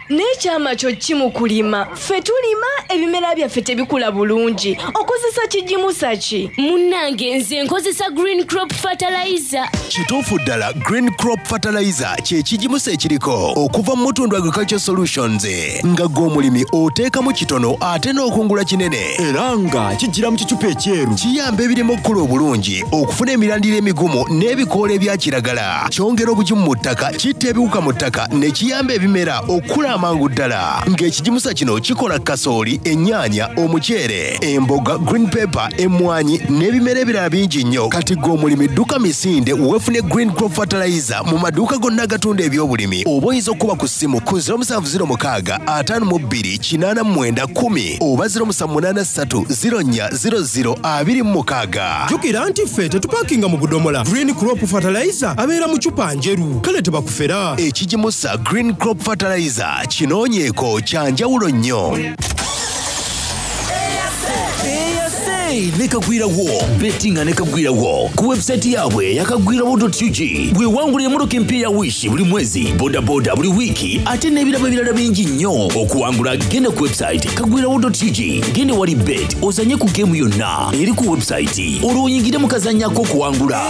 N'ekyama kyo ki mu kulima? Ffe tulima ebimera byaffe tebikula bulungi. Okozesa kigimusa ki? Munnange, nze nkozesa Green Crop Fertilizer. Kituufu ddala, Green Crop Fertilizer kye kigimusa ekiriko okuva mu Mutundu Agriculture Solutions, nga gwe omulimi oteekamu kitono ate n'okungula kinene, era nga kijjira mu kicupa ekyeru. Kiyamba ebirimu okukula obulungi, okufuna emirandira emigumu n'ebikoola ebya kiragala. Kyongera obugimu mu ttaka, kitta ebiwuka mu ttaka ne kiyamba ebimera okukula amangu ddala. Ng'ekigimusa kino kikola kasooli, ennyaanya, omuceere, emboga, green pepper, emmwanyi n'ebimera ebirala bingi nnyo. Kati gwe omulimi dduka misinde weefune Green Crop Fertilizer mu maduuka gonna agatunda ebyobulimi, oba oyinza okuba ku ssimu ku zero musanvu zero mukaaga ataano mu bbiri kinaana mu mwenda kkumi oba zero musanvu munaana ssatu zero nnya zero zero abiri mu mukaaga. Jjukira nti ffe tetupakinga mu budomola. Green Crop Fertilizer abeera mu cupa njeru, kale tebakufera. Ekigimusa Green Crop Fertilizer kinoonyeeko, kya njawulo nnyo. Ne Kagwirawo bettinga ne Kagwirawo ku website yaabwe yakagwirawo ug. Bwewangulira emotoka empya ya Wish buli mwezi, bodaboda buli wiiki, ate n'ebirabo ebirala bingi nnyo. Okuwangula genda ku website kagwirawo ug, genda wali bet, ozanye ku game yonna eri ku website, olwo oyingire mu kazannyako okuwangula.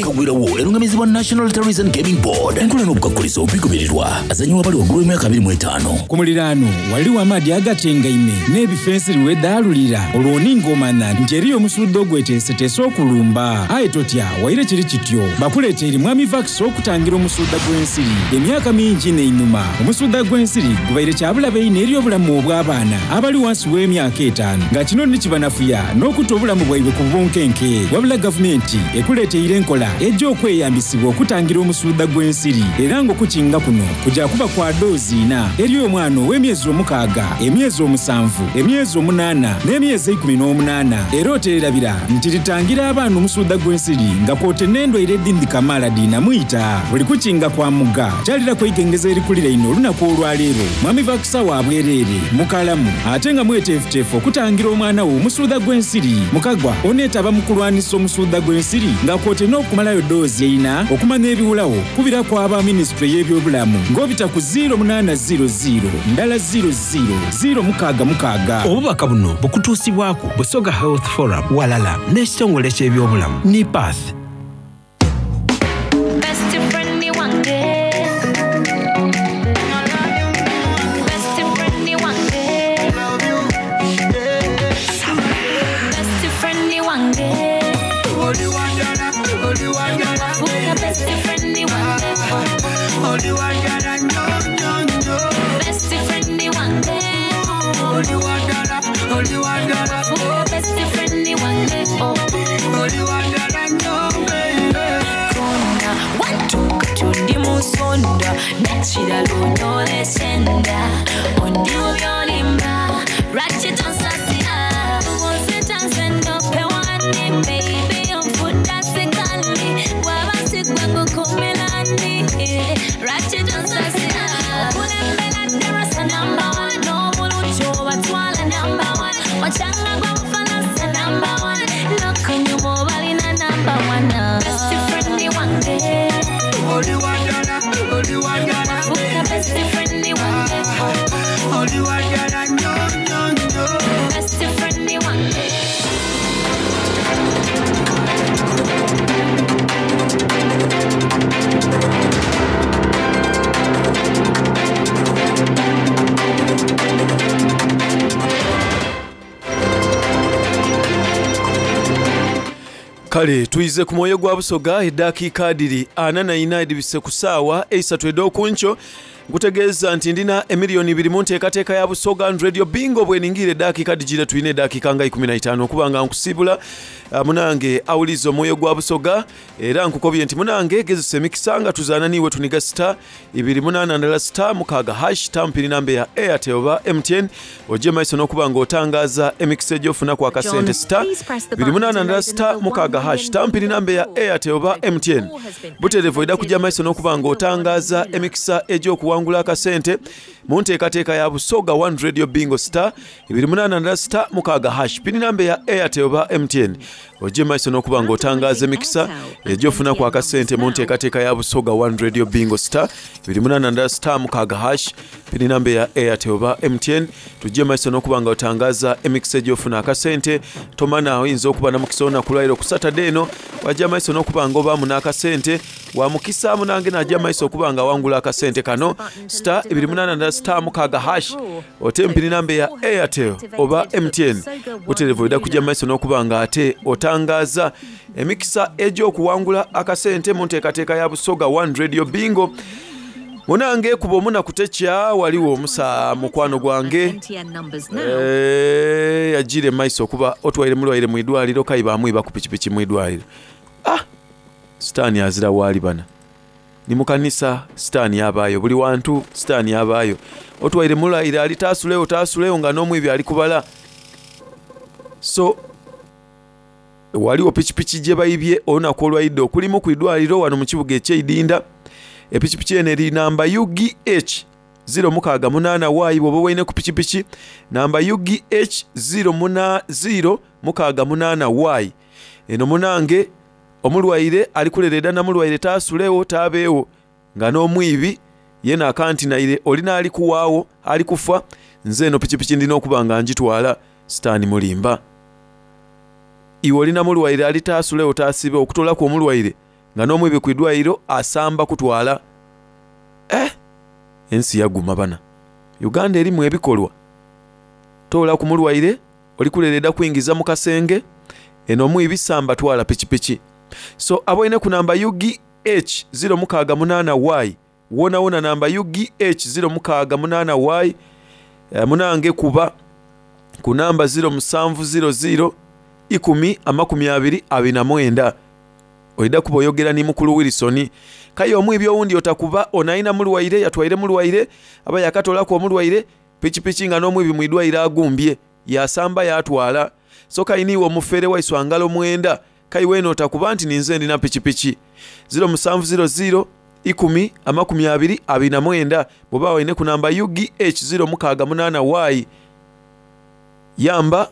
Kagwirawo erungamizibwa National Lotteries and Gaming Board. Enkola n'obukwakkulizo bigobererwa. Azanyiwa abali waggulu w'emyaka abiri mu etaano. Ku muliraano waliwo amaadi agatengaime n'ebifensiri wedaalulira, olwo oninga omanya nti eriyo omusudde ogweteeseteese okulumba. Aye totya, waire kiri kityo, bakuleeta eri Mwami Vax okutangira omusudda gw'ensiri. Emyaka mingi n'einuma omusudda gw'ensiri gubaire kyabulabe ino eri obulamu obw'abaana abali wansi w'emyaka etaano, nga kino nikibanafuya n'okutta obulamu bwaibwe ku bunkenke. Wabula gavumenti ekuleeteire enkola ejja okweyambisibwa okutangira omusudda gw'ensiri, era ng'okukinga kuno kujja kuba kwa doozi ina eri omwana ow'emyezi omukaaga, emyezi omusanvu, emyezi omunaana n'emyezi ekumi n'omunaana. Era oteerabira nti litangira abaana omusudda gw'ensiri nga kwote n'endwaire edindi kamaala diinamuyita. Buli kukinga kwa muga kyalira kwegengeza erikulira ino olunaku olwaleero. Mwami Vakisa wa bwereere mukalamu ate nga mweteefuteefu okutangira omwana wo omusuuda gw'ensiri. Mukagwa oneetaba mu kulwanisa omusuuda gw'ensiri nga kwote n'okumalayo doozi eina. Okumanya ebiwulawo kubirako aba minisitule y'ebyobulamu ng'obita ku zero munaana zero zero ndala zero zero zero mukaaga mukaaga. Obubaka buno bukutuusibwako Busoga Health Forum walala n'ekitongole ky'ebyobulamu NIPATH. Best friend wange. Best friend wange. Best friend wange. Oli wandala, oli wandala. Fuka best friend wange. Oli wandala nnyo nnyo nnyo. Best friend wange. Oli wandala, oli wandala. Fuka best friend wange. Oh. Oli wandala nnyo baby. Kona wantuka tundi mu nsonda nekirala onyolesenda ondi mu byolimba lwaki tonsasira onsitanze ndope wani baby onfudda sikali waba sigwe ngukumirani lwaki tonsasira okulembera darasa namba one n'obulungi obatwala namba Oli wadala, oli wadala Wafuuka best friend wange Oli wadala nnyo nnyo nnyo Best friend wange Kale tuize ku mwoyo gwa Busoga eddakiika adiri ana na ina edibise ku ssaawa eisatu ed'okunkyo. Nkutegeeza nti ndina emiliyoni ibiri mu nteekateeka ya Busoga and Radio Bingo. Bweningira eddakiika digire tulina eddakiika nga ikumi na itaano okuba nga nkusiibula. Ah, munange awuliza omwoyo gwa Busoga, era nkukobye nti munange gezesa emikisa nga tuzaana niiwe tuniga sita ibiri munaana ndala sita mukaaga hash tampiri namba ya Airtel oba M T N, ojje maiso n'okuba ng'otangaaza emikisa egy'ofunaku akasente. Sita ibiri munaana ndala sita mukaaga hash tampiri namba ya Airtel oba M T N. Butereevu ojja kujja maiso n'okuba ng'otangaaza emikisa egy'okuwangula akasente mu nteekateeka ya Busoga One Radio Bingo. Star ibiri munaana ndala sita mukaaga hash pini namba ya Airtel oba M T N, ojje maiso n'okuba ng'otangaaza emikisa egy'ofunaku akasente mu nteekateeka ya Busoga One Radio Bingo. Star ibiri munaana ndala sita mukaaga hash pini namba ya Airtel oba M T N, tujje maiso n'okuba ng'otangaaza emikisa egy'ofuna akasente. Tomana oyinza okuba na mukisa olunaku lwaleero ku Saturday eno, wajja maiso n'okuba ng'obaamu n'akasente. Wa mukisa munange najja maiso okuba nga wangula akasente kano. Star ibiri munaana ndala sita mukaaga hash ote mpini namba ya Airtel oba M T N. Butereevu ojja kujja maiso n'okuba nga ate otangaaza emikisa egy'okuwangula akasente mu nteekateeka ya Busoga One Radio Bingo. Munange kuba omuna kutekya waliwo omusa mukwano gwange Eh, yajire maiso okuba otwaire mulwaire mu idwaliro kayi bamwiba ku pikipiki mu idwaliro. Ah, sitaani azira waali bana ni mu kanisa sitaani abaayo, buli wantu sitaani abaayo. Otwaire mulwaire ali taasuleyo taasuleyo nga n'omwibi ali kubala. So waliwo pikipiki gye bayibye olunaku olwayidde okulimu ku idwaliro wano mu kibuga eky'Eidinda. Epikipiki eno eri namba U G H zero mukaaga munaana Y. Bw'oba olina ku pikipiki namba U G H zero muna zero mukaaga munaana Y, eno munange omulwaire ali kulereeda namulwaire taasulewo taabeewo nga n'omwibi yena akanti naire olina ali kuwaawo ali kufa, nze eno pikipiki ndina okuba nga ngitwala. Sitaani mulimba. Iwe olina mulwaire ali taasulewo taasibe okutoolaku omulwaire nga n'omwibi ku idwaliro asamba kutwala. Eh, ensi yaguma bana. Uganda erimu ebikolwa. Toola ku mulwaire oli kulereeda kuyingiza mu kasenge, eno omwibi samba twala pikipiki. So aboine ku namba U G H zero mukaaga munaana Y, wona wona namba U G H zero mukaaga munaana Y, eh, munange kuba ku namba zero musanvu zero zero ikumi amakumi abiri abiri na mwenda. Oida kuba oyogera ni mukulu Wilson. Kaye omwibi owundi otakuba onayina mulwaire yatwaire mulwaire aba yakatolako omulwaire pikipiki nga n'omwibi mu idwaliro agumbye yasamba yatwala. So kayiniwe omufere waiswa ngalo mwenda kai weno otakuba nti ninze ndina pikipiki zero musanvu zero zero ikumi amakumi abiri abiri na mwenda. Bw'oba olina ku namba U G H zero mukaaga munaana Y, yamba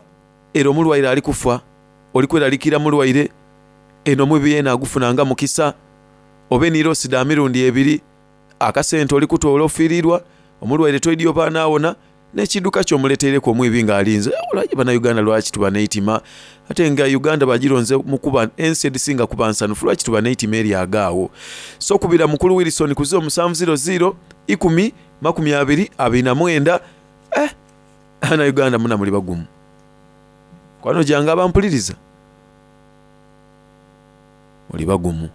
era omulwaire ali kufa oli kweralikira mulwaire eno omwibi yena agufunanga mukisa obe nirosi da mirundi ebiri akasente oli kutoola ofiirirwa omulwaire toidi oba anaawona n'ekidduka ky'omuleeteereko omwibi ng'alinze. Olwaki bannayuganda lwaki tuba n'eitima ate nga Uganda bagironze mu kuba ensi edisinga kuba nsanufu, lwaki tuba n'eitima eryagaawo? So kubira mukulu Wilson ku zero musanvu zero zero ikumi makumi abiri abiri na mwenda. Eh, bannayuganda muna muli bagumu. Kwano jange abampuliriza muli bagumu.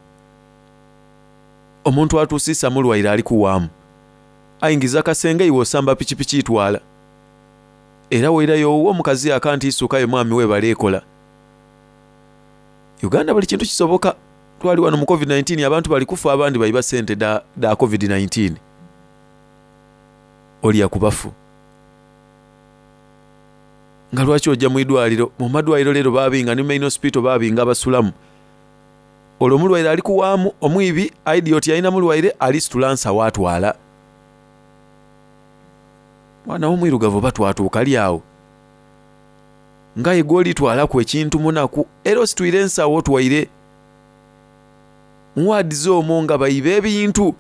Omuntu atuusisa mulwaire ali kuwaamu ayingiza akasenge iwe osamba pikipiki itwala. Era weerayo owuwo omukazi akanti isukayo mwami we baleekola. Uganda buli kintu kisoboka. Twali wano mu covid nineteen abantu bali kufa abandi bayiba ssente da, da covid nineteen. Olya ku bafu. Nga lwaki ojja mu idwaliro? Mu madwaliro leero baabinga ne main hospital baabinga abasulamu. Olwo omulwaire ali kuwaamu omwibi idiot yalina mulwaire alisitula nsawo atwala. Mwana w'omwirugavu oba twatuuka ali awo. Nga ye gw'olitwalaku ekintu munaku era ositwire ensawo otwaire. Muwaadize omwo nga baiba ebintu.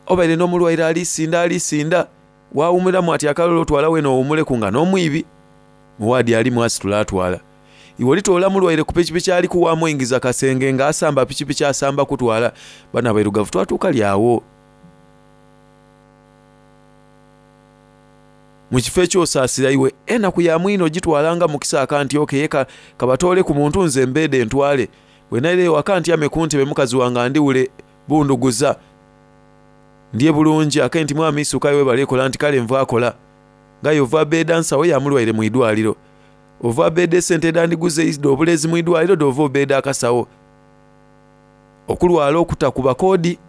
Obaire n'omulwaire alisinda alisinda waawumulamu ati akalolo otwala wena owumuleku nga n'omwibi. Muwaadi alimu asitula atwala. Iwe olitoola mulwaire ku pikipiki ali kuwaamu kasenge nga asamba pikipiki asamba kutwala. Bano abairugavu twatuuka lyawo. Mu kifo ekyosaasira iwe enaku ya mwino ogitwalanga mukisa akanti okeye kabatoole ku muntu nze mbeede ntwale. Bwe naireyo waka ntyame ku ntebe mukazi wange andiwule bunduguza. Ndiye bulungi ake nti mwami isukayo webale ekola nti kale nva akola. Nga yova beeda nsawo ya mulwaire mu idwaliro. Ova beeda esente edandiguze idde obulezi mu idwaliro dova obeeda akasawo. Okulwala okutakuba koodi.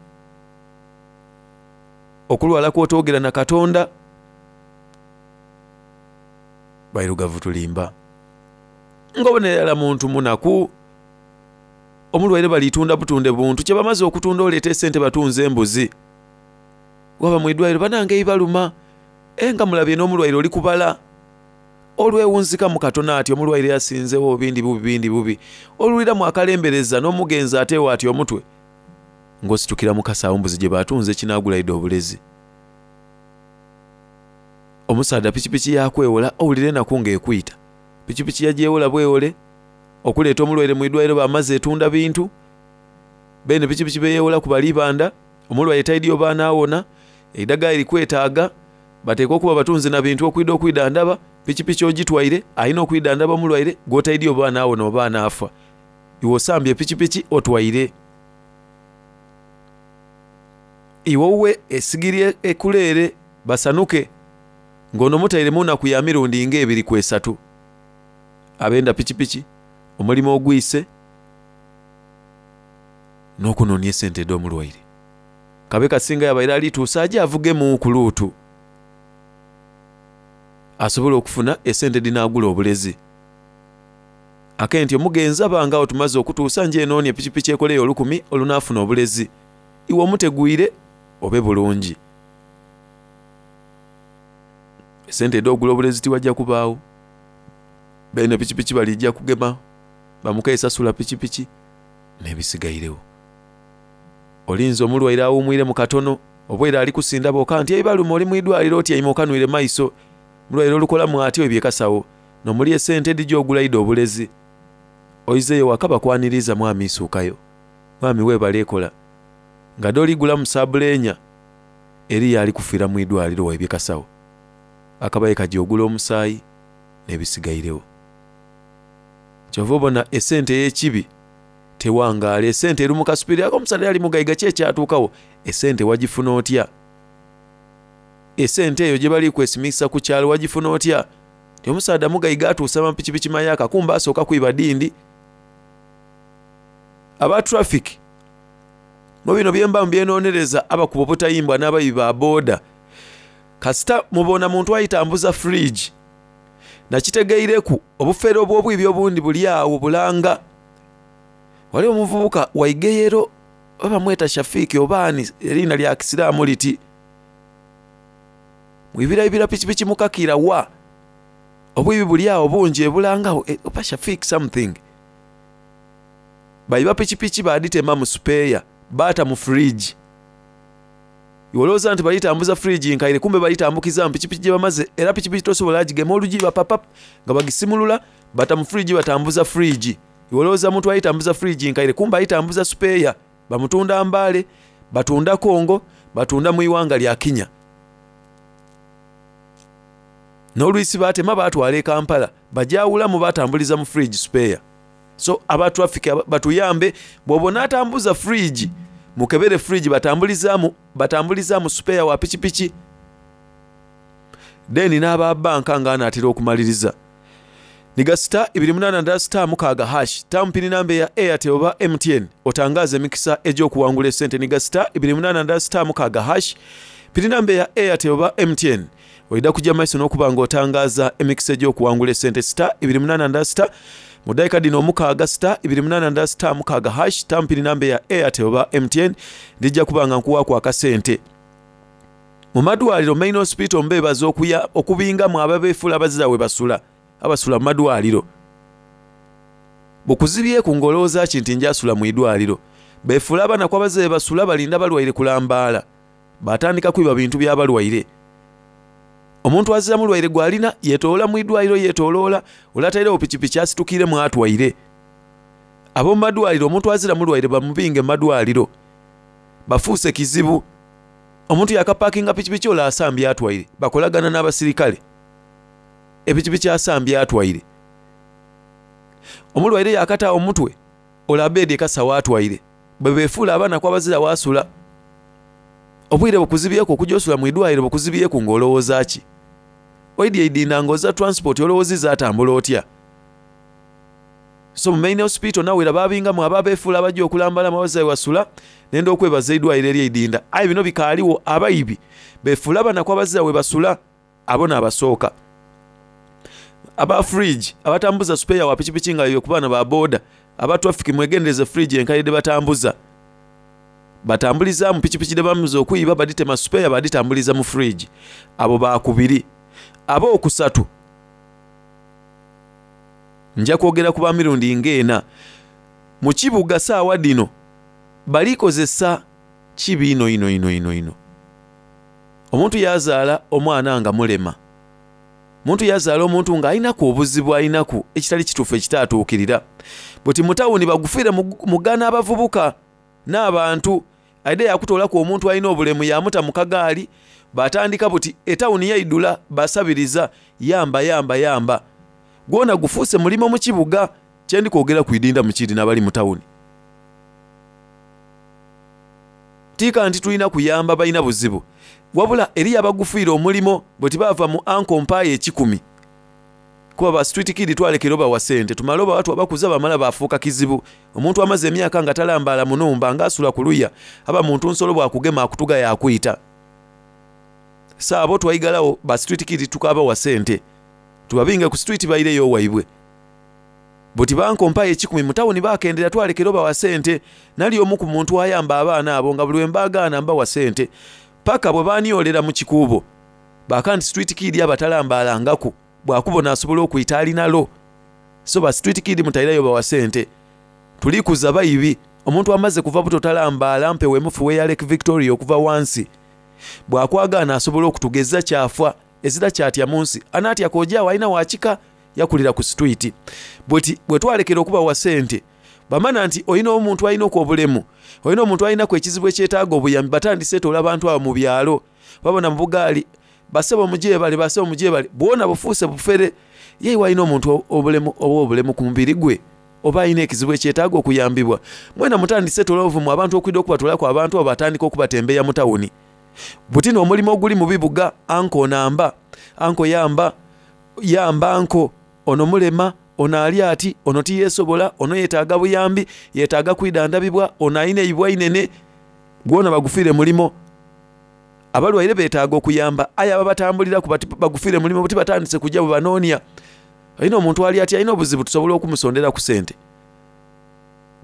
Okulwala kw'otoogera na Katonda. Bairugavu tulimba. Ng'obonera muntu munaku. Omulwaire balitunda butunde buntu kye bamaze okutunda oleeta esente batunze embuzi. Waba mu idwaliro banange ibaluma. Enga mulabye n'omulwaire oli kubala. Olwewunzika mu katono ati omulwaire yasinzewo bindi bubi bindi bubi. Oluliramu akalembereza n'omugenzi ateewo ati omutwe. Ng'ositukira mu kasawo mbuzi gye batunze kinaagula idde obulezi. Omusaadha pikipiki yakwewola owulira enaku ng'ekwita. Pikipiki yagyewola bwewole. Okuleeta omulwaire mu idwaliro bamaze etunda bintu. Beene pikipiki beyewola ku balibanda. Omulwaire taidi oba anaawona. Eidagala erikwetaaga. Bateekwa okuba batunze na bintu okwida okwidandaba. Pikipiki ogitwaire alina okwidandaba omulwaire gw'otaidi oba anaawona oba anaafa. Iwe osambye pikipiki otwaire. Iwe owuwe esigiri ekuleere basanuke. Ng'ono mutaire mu nnaku ya mirundi ng'ebiri ku esatu. Abenda pikipiki, omulimu ogwise, n'okunoonya esente edh'omulwaire. Kabe kasinga yabaire alituusa aje avugemu ku luutu. Asobole okufuna esente dhinaagula obulezi. Ake nti omugenzi abanga awo tumaze okutuusa nje enoonie pikipiki ekoleyo olukumi olunaafuna obulezi. Iwe omutegwire obe bulungi. Esente edh'ogula obulezi tiwajja kubaawo. Beene pikipiki balijja kugema bamuka esasula pikipiki n'ebisigairewo. Olinze omulwaire awumwire mu katono obwaire ali kusinda bwoka nti eibaluma oli mu idwaliro otyaime okanwire maiso. Mulwaire olukolamu atyo ebyekasawo n'omuli esente edhija ogula idde obulezi. Oizeeyo waka bakwaniriza mwami isuukayo. Mwami weebale ekola. Nga dh'oligula mu sabuleenya eriyo ali kufiira mu idwaliro waibye kasawo. Akabaye kajja ogula omusaayi n'ebisigairewo. Kyova obona esente ey'ekibi tewangaala. Esente eri mu kasupiri ako omusaadha yali mugaiga ki ekyatuukawo? Esente wagifuna otya? Esente eyo gye bali kwesimisa ku kyalo wagifuna otya? Ti omusaadha mugaiga atuusa amapikipiki mayaka kumbe asooka kwiba dindi. Aba traffic mu bino byemba mbyenonereza abakuba obutayimbwa n'abayi ba boda. Kasita mubona muntu ayitambuza fridge. Nakitegeireku obufere obw'obwibi obundi buli awo bulanga. Waliwo omuvubuka waigeyero oba mweta Shafiki oba ani erina lya kisiraamu liti. Mwibiraibira pikipiki mukakira wa. Obwibi buli awo bungi ebulangawo e, oba Shafiki something. Baiba pikipiki baaditema mu spare baata mu fridge. Iwolowooza nti balitambuza fridge nkaire kumbe balitambukiza mu pikipiki gye bamaze era pikipiki tosobola agigema olugiba papap nga bagisimulula bata mu fridge batambuza fridge. Iwolowooza muntu ayitambuza fridge nkaire kumbe ayitambuza spare bamutunda Mbale, batunda Kongo, batunda mu iwanga lya Kenya. N'olwisi batema batwala e Kampala bajawulamu batambuliza mu fridge spare. So aba traffic batuyambe bw'obona atambuza fridge mukebere fridge batambulizaamu batambulizaamu spare wa pikipiki. Then n'aba banka nga anaatera okumaliriza. Niga star ibiri munana ndala star mukaaga hash tampini namba ya Airtel oba M T N otangaze emikisa egy'okuwangula esente. Niga star ibiri munana ndala star mukaaga hash pini namba ya Airtel oba M T N oida kujja maiso n'okuba nga otangaza emikisa egy'okuwangula esente. Star ibiri munana ndala star mu dakiika dino omukaaga star ibiri munana ndala star mukaaga hash tampini namba ya Airtel oba M T N ndijja kuba nga nkuwaako akasente. Mu madwaliro main hospital mbeebaza okuya okubingamu ababeefuula abazira we basula abasula mu madwaliro. Bukuzibyeku ng'olowooza ki nti njasula mu idwaliro. Befuula abanaku abazaire basula balinda balwaire kulambaala, batandika kwiba bintu bya balwaire. Omuntu azira mulwaire gw'alina yeetoloola mu idwaliro yeetoloola, ole atairegho pikipiki asitukiremu atwaire. Ab'omu madwaliro omuntu azira mulwaire bamubinge mu madwaliro, bafuuse kizibu. Omuntu yakapakinga pikipiki ole asambye atwaire, bakolagana n'abasirikale. Epikipiki asambye atwaire. Omulwaire yakataawo omutwe, ole abeedi ekasawo atwaire. Bwe beefuula abanaku abazira waasula. Obwire bukuzibyeku okujja osula mu idwaliro bukuzibyeku ng'olowooza ki? Oidye eidinda ng'oza transport olowoozizza atambula otya? So mu main hospital nawera babingamu abo abeefuula abajja okulambalamu abazaire wasula nenda okwebaza eidwaliro ery'eidinda. Aye bino bikaaliwo abaibi beefuula abanaku abazira we basula abo n'abasooka. Aba fridge abatambuza spare wa pikipiki nga yo ku baana ba boda, aba traffic mwegendereze fridge enkaire dhe batambuza. Batambulizaamu pikipiki dhe bamaze okwiba baditema spare baditambuliza mu fridge. Abo bakubiri. Abookusatu nja kwogera ku ba mirundi ng'ena. Mu kibuga saawa dhino balikozesa kibi ino ino ino ino ino. Omuntu yazaala omwana nga mulema. Omuntu yazaala omuntu nga alinaku obuzibu alinaku ekitali kituufu ekitaatuukirira. Buti mu tawuni bagufiire mugana abavubuka n'abantu aidha yakutoolaku omuntu alina obulemu yamuta mu kagaali batandika buti etawuni yaidula basabiriza yamba yamba yamba. Gwona gufuuse mulimo mu kibuga kye ndi kwogera ku idinda mu kiri n'abali mu tawuni. Tiika nti tulina kuyamba balina buzibu. Wabula eriyo abagufiire omulimo bwe tibaava mu anko mpaayo ekikumi. Kuba ba street kid twalekera obawa ssente tumale obawa twabakuza bamala bafuuka kizibu. Omuntu amaze emyaka nga talambaala mu numba ng'asula ku luya aba muntu nsolo bwakugema akutuga yakwita. Saabo twaigalawo ba street kid tukabawa ssente. Tubabinge ku street baireyo waibwe. Buti banko mpaayo ekikumi mu tawuni bakendera twalekera obawa ssente. Nali omu ku muntu ayamba abaana abo nga buli lwe mbaagaana mbawa ssente. Paka bwe baaniolera mu kikuubo. Baka nti street kid abatalambalangaku bwakubona asobola okwita alinalo. So ba street kid mutairayo bawa ssente. Tulikuza bayibi. Omuntu amaze kuva buto talambaala mpewo emufuwe ya Lake Victoria okuva wansi. Bwakwagaana asobola okutugeza kyafa ezira kyatya mu nsi. Anaatya kojaawo alina wakika yakulira ku street. Bweti bwe twalekera okubawa ssente bamana nti olina omuntu alina obulemu, olina omuntu alinaku ekizibu ekyetaaga obuyambi, batandise etoola abantu abo mu byalo. Babona mu bugaali basebo mugyebale basebo mugyebale bwona bufuuse bufere. Ye walina omuntu obulemu oba obulemu ku mubiri gwe oba alina ekizibu ekyetaaga okuyambibwa. Mwena mutandise etoola obuvumu abantu okwidda okubatwalako abantu abo batandika okubatembeeya mu tawuni. Buti n'omulimu oguli mu bibuga anko namba anko yamba yamba anko ono mulema ono ali ati ono tiyeesobola ono yeetaaga buyambi yeetaaga kwidandabibwa ono alina eibwa inene gwona bagufiire mulimo. Abalwaire beetaaga okuyamba aye ababatambuliraku bagufiire mulimo buti batandise kujja bwe banoonia. Alina omuntu ali ati alina obuzibu tusobola okumusondera ku ssente.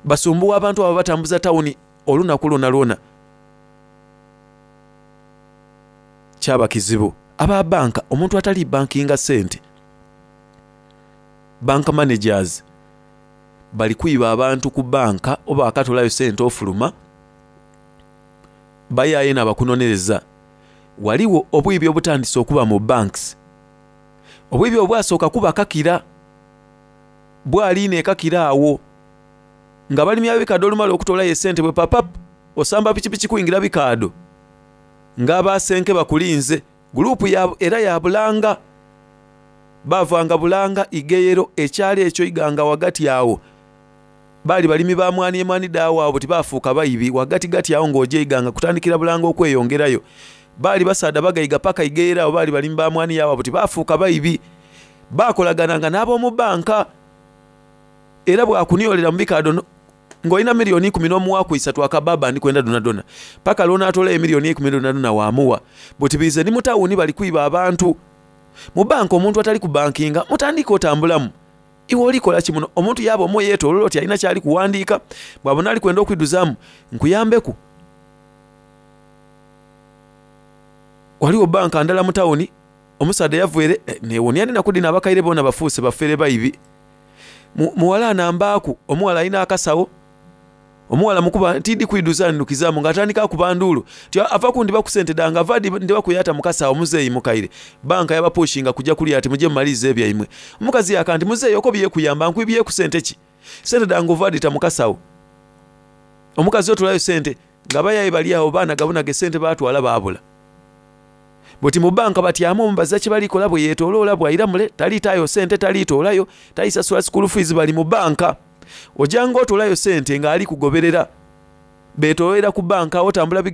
Basumbuwa abantu abo batambuza tawuni olunaku lwona lwona. Kyaba kizibu. Aba banka omuntu atali bankinga ssente, bank managers bali kwiba abantu ku banka oba akatolayo ssente ofuluma bayaye n'abakunonereza. Waliwo obwibi obutandise okuba mu banks. Obwibi obwasooka kuba kakira bwaliina ekakira awo nga balimi ab'ebikadde olumala okutolayo essente bwe papap osamba pikipiki kuyingira bikaado ng'abasenke bakulinze. Gulupu ya, era ya Bulanga bavanga Bulanga Igeyero ekyalo ekyo Iganga wagati awo baali balimi ba mwani emwani daawo abo tibafuuka bayibi wagati gati awo ng'ojja Iganga kutandikira Bulanga okweyongerayo. Baali basaadha bagayiga paka Igeyero abo baali balimi ba mwani yaabo abo tibafuuka bayibi. Baakolagananga n'ab'omu banka era bwakuniolera mu bikaado ng'olina miliyoni ikumi n'omuwaaku isatu akababa ndi kwenda donadona paka lw'onaatolayo emiliyoni ikumi donadona waamuwa. Buti bize ni mu tawuni bali kwiba abantu. Mu banka omuntu atali ku bankinga mutandika otambulamu. Iwe olikola ki muno? Omuntu yaba omwo yeetooloola oti alina kyali kuwandiika bw'abona ali kwenda okwiduzaamu nkuyambeku. Waliwo banka ndala mu tawuni omusaadha yavwere eh, neewuunia ndi naku dhino abakaire boona bafuuse bafere baibi. Muwala anambaaku omuwala alina akasawo Omuwala mukuba tidi kwiduza ndukizaamu ng'atandika akuba nduulu ti ava kundiba ku sente dange, ava ndiba kuyata mukasa omuzeeyi mukaire. Banka yabapushinga kujja kulya ati mujje mumalirize ebyaimwe. Omukazi yaka nti muzeeyi oko byekuyamba nkwibye ku sente ki? Sente dange ova dita mukasawo. Omukazi otolayo sente nga bayaye bali awo baana gabunaga sente baatwala baabula. Buti mu banka batyamu omubaza kye balikola bwe yeetooloola bw'ayira mule taliitaayo sente taliitoolayo talisasula school fees bali mu banka. Ojanga otolayo sente ng'ali kugoberera beetoolera ku banka otambula.